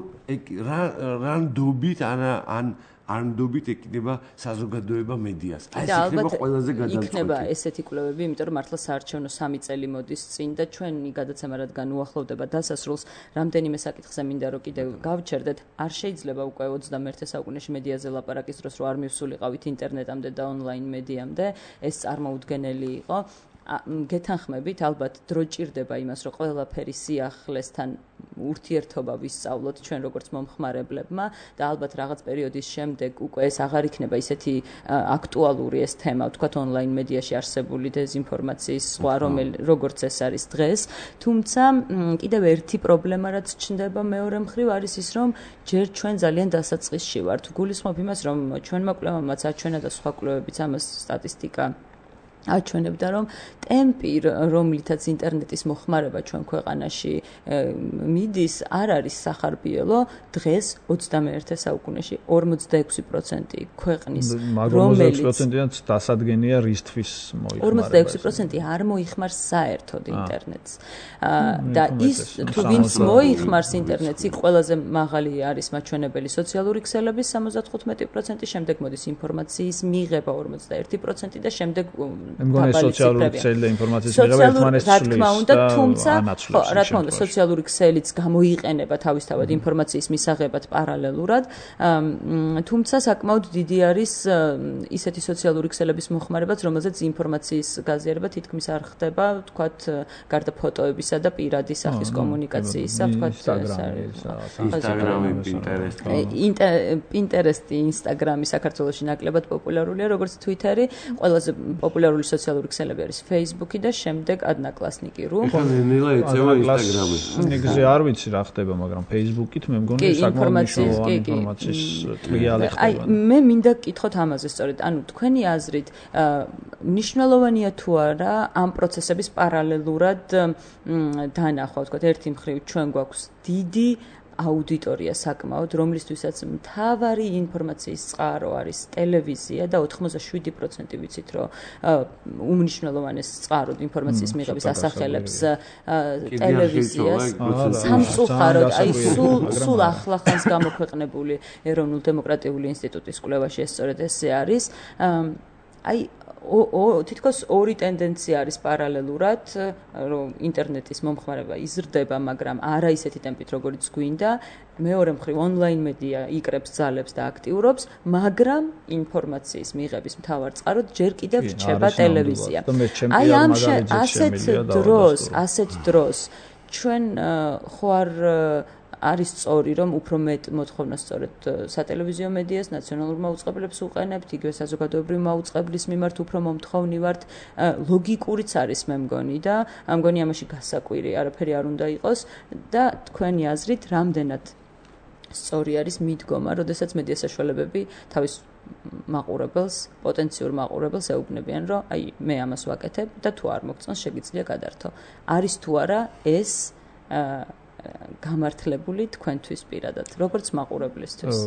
რანდობით ან ნდობით ეკიდება საზოგადოება მედიას. ეს იქნება ყველაზე გადამწყვეტი. იქნება ესეთი კვლევები, იმიტომ რომ მართლა საარჩევნო 3 წელი მოდის წინ და ჩვენი გადაცემა რადგან უახლოვდება დასასრულს, რამდენიმე საკითხზე მინდა რომ კიდევ გავჩერდეთ. არ შეიძლება უკვე 21 საუკუნეში მედიაზე ლაპარაკის დროს რომ არ მივსულიყავით ინტერნეტამდე და ონლაინ მედიამდე, ეს წარმოუდგენელი იყო. გეთანხმებით, ალბათ დრო ჭირდება იმას, რომ ყველაფერი სიახლესთან ურთიერთობა ვისწავლოთ ჩვენ როგორც მომხმარებლებმა და ალბათ რაღაც პერიოდის შემდეგ უკვე ეს აღარ იქნება ისეთი აქტუალური ეს თემა, ვთქვათ ონლაინ მედიაში არსებული დეзинფორმაციის სხვა, როგორც ეს არის დღეს. თუმცა კიდევ ერთი პრობლემა რაც ჩნდება მეორე მხრივ არის ის, რომ ჯერ ჩვენ ძალიან დასაწყისში ვართ. გულისხმობ იმას, რომ ჩვენმა კვლევამაც აჩვენა და სხვა კვლევებიც ამას სტატისტიკა აჩვენებდა, რომ ტემპი, რომლითაც ინტერნეტის მოხმარება ჩვენ ქვეყანაში მიდის, არ არის სახარბიელო. დღეს 21 საუკუნეში 46% ქვეყნის, რომელიც 46%-იანც დასადგენია რისთვის მოიხმარება. 46% არ მოიხმარს საერთოდ ინტერნეტს. და ის თუ ვინც მოიხმარს ინტერნეტს, იქ ყველაზე მაღალი არის მაჩვენებელი სოციალური ქსელების 75%, შემდეგ მოდის ინფორმაციის მიღება 41% და შემდეგ მეგონი სოციალური ქსელი და ინფორმაციის მიღება ერთმანეთს ცვლის და თუმცა რა თქმა უნდა სოციალური ქსელიც გამოიყენება თავისთავად ინფორმაციის მისაღებად პარალელურად, თუმცა საკმაოდ დიდი არის ისეთი სოციალური ქსელების მოხმარებაც, რომელზეც ინფორმაციის გაზიარება თითქმის არ ხდება, ვთქვათ, გარდა ფოტოებისა და პირადი სახის კომუნიკაციისა, ვთქვათ, ინსტაგრამი, პინტერესტი, ინსტაგრამი საქართველოში ნაკლებად პოპულარულია, როგორც თვიტერი, ყველაზე პოპულარული სოციალური ქსელები არის Facebook და შემდეგ Одноклассники.ру. ნელა ეწევა Instagram-ი. ნიგზე არ ვიცი რა ხდება, მაგრამ Facebook-ით მე მგონი საკმაოდ მნიშვნელოვანი ინფორმაციის ტრიალი ხდება. აი, მე მინდა გკითხოთ ამაზე სწორედ. ანუ თქვენი აზრით, მნიშვნელოვანია თუ არა ამ პროცესების პარალელურად დანახვა, ვთქვათ, ერთი მხრივ ჩვენ გვაქვს დიდი აუდიტორია საკმაოდ, რომლისთვისაც მთავარი ინფორმაციის წყარო არის ტელევიზია და 87% ვიცით, რომ უმნიშვნელოვანეს წყაროდ ინფორმაციის მიღების ასახელებს ტელევიზიას. სამწუხაროდ, აი სულ ახლახანს გამოქვეყნებული ეროვნულ დემოკრატიული ინსტიტუტის კვლევაში ეს სწორედ ესე არის. აი თითქოს ორი ტენდენცია არის პარალელურად, რომ ინტერნეტის მომხმარება იზრდება, მაგრამ არა ისეთი ტემპით, როგორიც გვინდა. მეორე მხრივ ონლაინ მედია იკრებს ძალებს და აქტიურობს, მაგრამ ინფორმაციის მიღების მთავარ წყაროდ ჯერ კიდევ რჩება ტელევიზია. აი ამ ასეთ დროს ჩვენ ხوار არის სწორი, რომ უფრო მეტ მოთხოვნას სწორედ სატელევიზიო მედიას, ნაციონალურ მაუწყებლებს უყენებთ, იგივე საზოგადოებრივ მაუწყებლის მიმართ უფრო მომთხოვნი ვართ. ლოგიკურიც არის მე მგონი და ამგონი ამაში გასაკვირი არაფერი არ უნდა იყოს და თქვენი აზრით რამდენად სწორი არის მიდგომა, როდესაც მედია საშუალებები თავის მაყურებელს, პოტენციურ მაყურებელს ეუბნებიან, რომ აი მე ამას ვაკეთებ და თუ არ მოგწონს შეგიძლია გადართო. არის თუ არა ეს გამართლებული თქვენთვის პირადად, როგორც მაყურებლისთვის.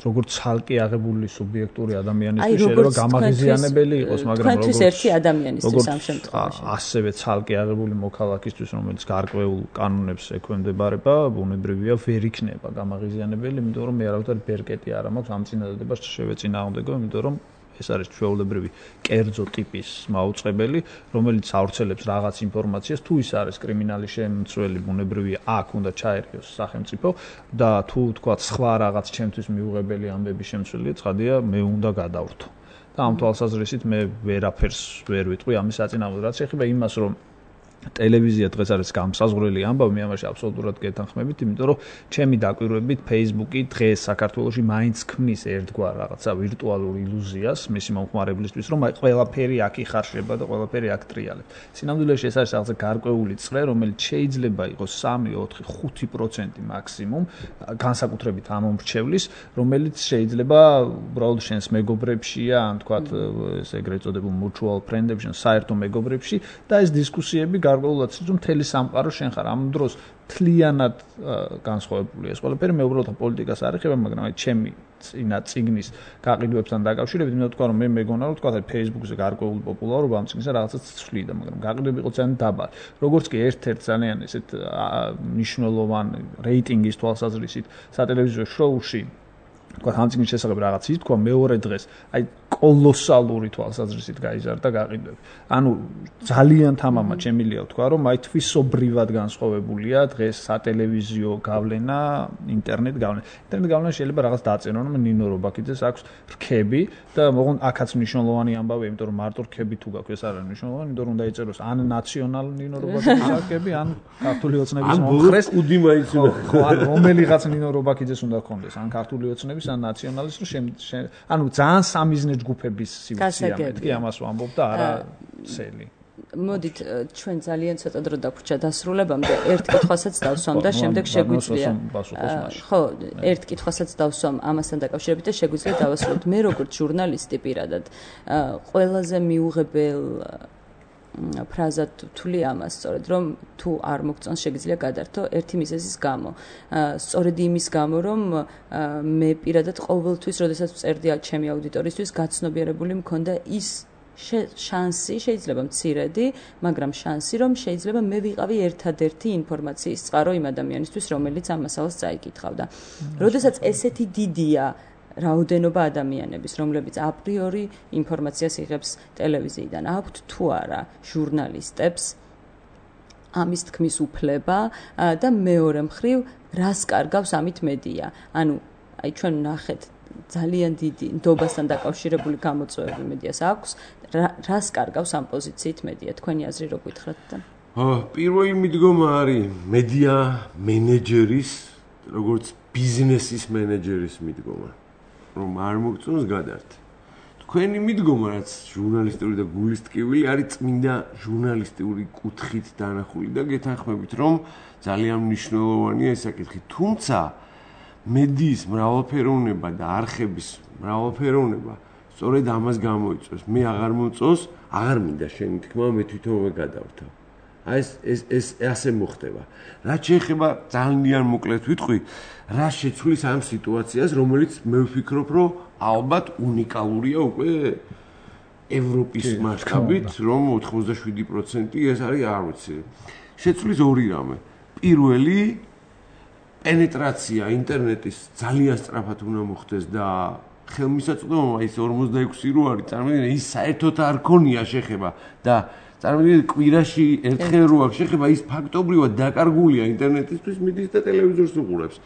როგორც ხალხი აღებული სუბიექტური ადამიანისთვის შეიძლება გამაღიზიანებელი იყოს, მაგრამ თქვენთვის ერთი ადამიანისთვის ამ შემთხვევაში. ასევე ხალხი აღებული მოქალაქისთვის, რომელიც გარკვეულ კანონებს ექვემდებარება, ბუნებრივია ვერ იქნება გამაღიზიანებელი, იმიტომ რომ მე არავითარი ბერკეტი არ მაქვს ამ წინადადებას შევეწინააღმდეგო, იმიტომ რომ ეს არის ჩვეულებრივი კერძო ტიპის მაუწყებელი, რომელიც ავრცელებს რაღაც ინფორმაციას, თუ ის არის კრიმინალის შემცველი, ბუნებრივია აქ უნდა ჩაერიოს სახელმწიფო და თუ თქვათ სხვა რაღაც ჩემთვის მიუღებელი ამბების შემცველია, ცხადია მე უნდა გადავრთო. და ამ თვალსაზრისით მე ვერაფერს ვერ ვიტყვი ამის საწინააღმდეგოდ. რაც ეხება იმას, რომ ტელევიზია დღეს არის გამსაზღვრელი ამბავი, მე ამაში აბსოლუტურად გეთანხმებით, იმიტომ რომ ჩემი დაკვირვებით Facebook-ი დღეს საქართველოში მაინც ქმნის ერთგვარ რაღაცა ვირტუალურ ილუზიას მისი მომხმარებლისთვის, რომ აი ყველაფერი აქ იხარშება და ყველაფერი აქ ტრიალებს. სინამდვილეში ეს არის რაღაცა გარკვეული წრე, რომელიც შეიძლება იყოს 3, 4, 5% მაქსიმუმ, განსაკუთრებით ამ მომრჩევლის, რომელიც შეიძლება უბრალოდ შენს მეგობრებშია, ან თქვათ ეს ეგრეთ წოდებულ mutual friend-ებში, საერთო მეგობრებში და ეს დისკუსიები გარკვეულად რომ მთელი სამყარო შენ ხარ ამ დროს თლიანად განსხვავებულია ეს ყველაფერი მე უბრალოდ პოლიტიკას არ ეხება მაგრამ აი ჩემი წიგნის გაყიდვებთან დაკავშირებით, მინდა თქვა, რომ მე მეგონა, რომ თქვა, Facebook-ზე გარკვეული პოპულარობა ამ წიგნისა რაღაცას ცვლიდა, მაგრამ გაყიდვები იყო ძალიან დაბალი. როგორც კი ერთ-ერთ ძალიან ესეთ მნიშვნელოვან რეიტინგის თვალსაზრისით სატელევიზიო შოუში თქვა ამ წიგნის შესახებ რაღაც ითქვა, მეორე დღეს აი კოლოსალური თვალსაზრისით გაიზარდა გაყიდვები. ანუ ძალიან თამამად შემიძლია ვთქვა, რომ აი თვისობრივად განსხვავებულია დღეს სატელევიზიო გავლენა, ინტერნეტ გავლენა. ინტერნეტ გავლენა შეიძლება რაღაც დაწერონ, რომ ნინო რობაქიძეს აქვს რქები და მოღონ აქაც მნიშვნელოვანი ამბავია, იმიტომ რომ მარტო რქები თუ გაქვს ეს არ არის მნიშვნელოვანი, იმიტომ რომ უნდა იწეროს ან ნაციონალ ნინო რობაქიძეს რქები, ან ქართული ოცნების მომხრეს უდი მაინც უნდა. ხო, ან რომელიღაც ნინო რობაქიძეს უნდა ქონდეს, ან ქართული ოცნების, ან ნაციონალის, რომ ანუ ძალიან სამიზნე ჯგუფების სივრცეა მეთქი ამას ვამბობ და არა სელი. მოდით ჩვენ ძალიან ცოტა დრო დაგვრჩა დასრულებამდე ერთ კითხვასაც დავსვამ და შემდეგ შეგვიძლია ხო ერთ კითხვასაც დავსვამ ამასთან დაკავშირებით და შეგვიძლია დავასრულოთ მე როგორც ჟურნალისტი პირადად ყველაზე მიუღებელ ფრაზად თვლი ამას სწორედ რომ თუ არ მოგწონს შეგიძლია გადართო ერთი მიზეზის გამო სწორედ იმის გამო რომ მე პირადად ყოველთვის როდესაც წერდი ჩემი აუდიტორიისთვის გაცნობიერებული მქონდა ის შანსი შეიძლება მცირედი მაგრამ შანსი რომ შეიძლება მე ვიყავი ერთადერთი ინფორმაციის წყარო იმ ადამიანისთვის რომელიც ამ მასალას წაიკითხავდა როდესაც ესეთი დიდია რაოდენობა ადამიანების, რომლებიც აპრიორი ინფორმაციას იღებს ტელევიზიიდან, აქვთ თუ არა ჟურნალისტებს ამის თქმის უფლება და მეორე მხრივ რას კარგავს ამით მედია. ანუ აი ჩვენ ნახეთ ძალიან დიდი ნდობასთან დაკავშირებული გამოწვევები მედიას აქვს, რას კარგავს ამ პოზიციით მედია? თქვენი აზრი რო გითხრათ და? პირველი მიდგომა არის მედია მენეჯერის, როგორც ბიზნესის მენეჯერის მიდგომა. რომ არ მოგწონს გადართ. თქვენი მიდგომა რაც ჟურნალისტური და გულის ტკივილი არის წმინდა ჟურნალისტური კუთხით დანახული და გეთანხმებით რომ ძალიან მნიშვნელოვანია ეს საკითხი. თუმცა მედიის მრავალფეროვნება და არხების მრავალფეროვნება სწორედ ამას გამოიწვევს. მე აღარ მომწონს, აღარ მინდა შენი თქმა, მე თვითონვე გადავრთავ. აი ეს ასე მოხდება. რაც შეეხება ძალიან მოკლედ ვიტყვი, რა შეცვლის ამ სიტუაციას, რომელიც მე ვფიქრობ, რომ ალბათ უნიკალურია უკვე ევროპის მასშტაბით, რომ 87% ეს არის არ ვიცი. შეცვლის ორი რამე. პირველი პენეტრაცია ინტერნეტის ძალიან სწრაფად უნდა მოხდეს და ხელმისაწვდომობა ის 46 რო არის, წარმოიდგინე ის საერთოდ არ ქონია შეხება და წარმოიდგინე კვირაში ერთხელ რო აქვს შეხება ის ფაქტობრივად დაკარგულია ინტერნეტისთვის მიდის და ტელევიზორს უყურებს.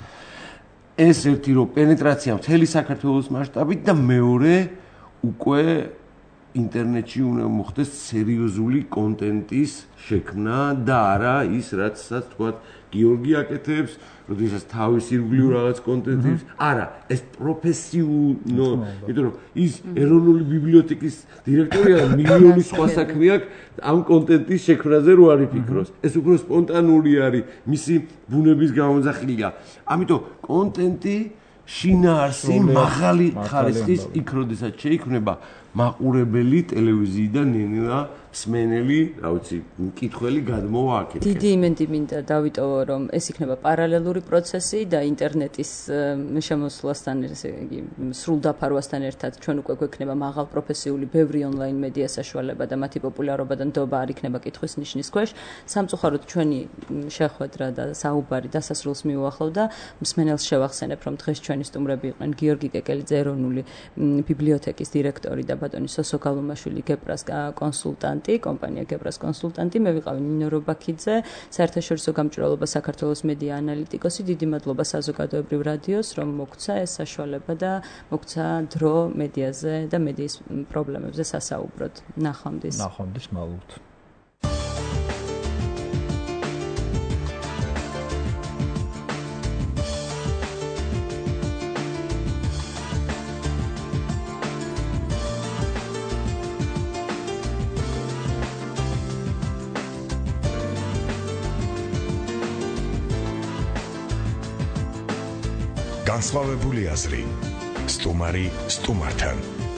ეს ერთი რო პენეტრაცია მთელი საქართველოს მასშტაბით და მეორე უკვე ინტერნეტში უნდა მოხდეს სერიოზული კონტენტის შექმნა და არა ის რაცაც თქვა გიორგი აკეთებს, როდესაც თავის ირგვლივ რაღაც კონტენტებს, არა, ეს პროფესიულო, იმიტომ რომ ის ეროვნული ბიბლიოთეკის დირექტორია და მილიონი სხვა საქმე აქვს ამ კონტენტის შექმნაზე რო არ იფიქროს. ეს უფრო სპონტანური არის, მისი ბუნების გამოძახილია. ამიტომ კონტენტი შინაარსი მაღალი ხარისხის იქ როდესაც შეიქმნება მაყურებელი ტელევიზიიდან ნელა სმენელი, რა ვიცი, მკითხველი გადმოვა აქეთ. დიდი იმედი მინდა დავიტოვო, რომ ეს იქნება პარალელური პროცესი და ინტერნეტის შემოსვლასთან, ესე იგი, სრულდაფარვასთან ერთად ჩვენ უკვე გვექნება მაღალ პროფესიული ბევრი ონლაინ მედია საშუალება და მათი პოპულარობა და ნდობა არ იქნება კითხვის ნიშნის ქვეშ. სამწუხაროდ ჩვენი შეხვედრა და საუბარი დასასრულს მიუახლოვდა. მსმენელს შევახსენებ, რომ დღეს ჩვენი სტუმრები იყვნენ გიორგი კეკელიძე, ეროვნული ბიბლიოთეკის დირექტორი და ბატონი სოსო გალუმაშვილი, გეპრას კონსულტანტი. კომპანია გეპრას კონსულტანტი, მე ვიყავი ნინო რობაქიძე, საერთაშორისო გამჭვირვალობა საქართველოს მედია ანალიტიკოსი. დიდი მადლობა საზოგადოებრივ რადიოს, რომ მოგცა ეს საშუალება და მოგცა დრო მედიაზე და მედიის პრობლემებზე სასაუბროდ. ნახვამდის. ნახვამდის მალულთ. განსხვავებული აზრი. სტუმარი სტუმართან.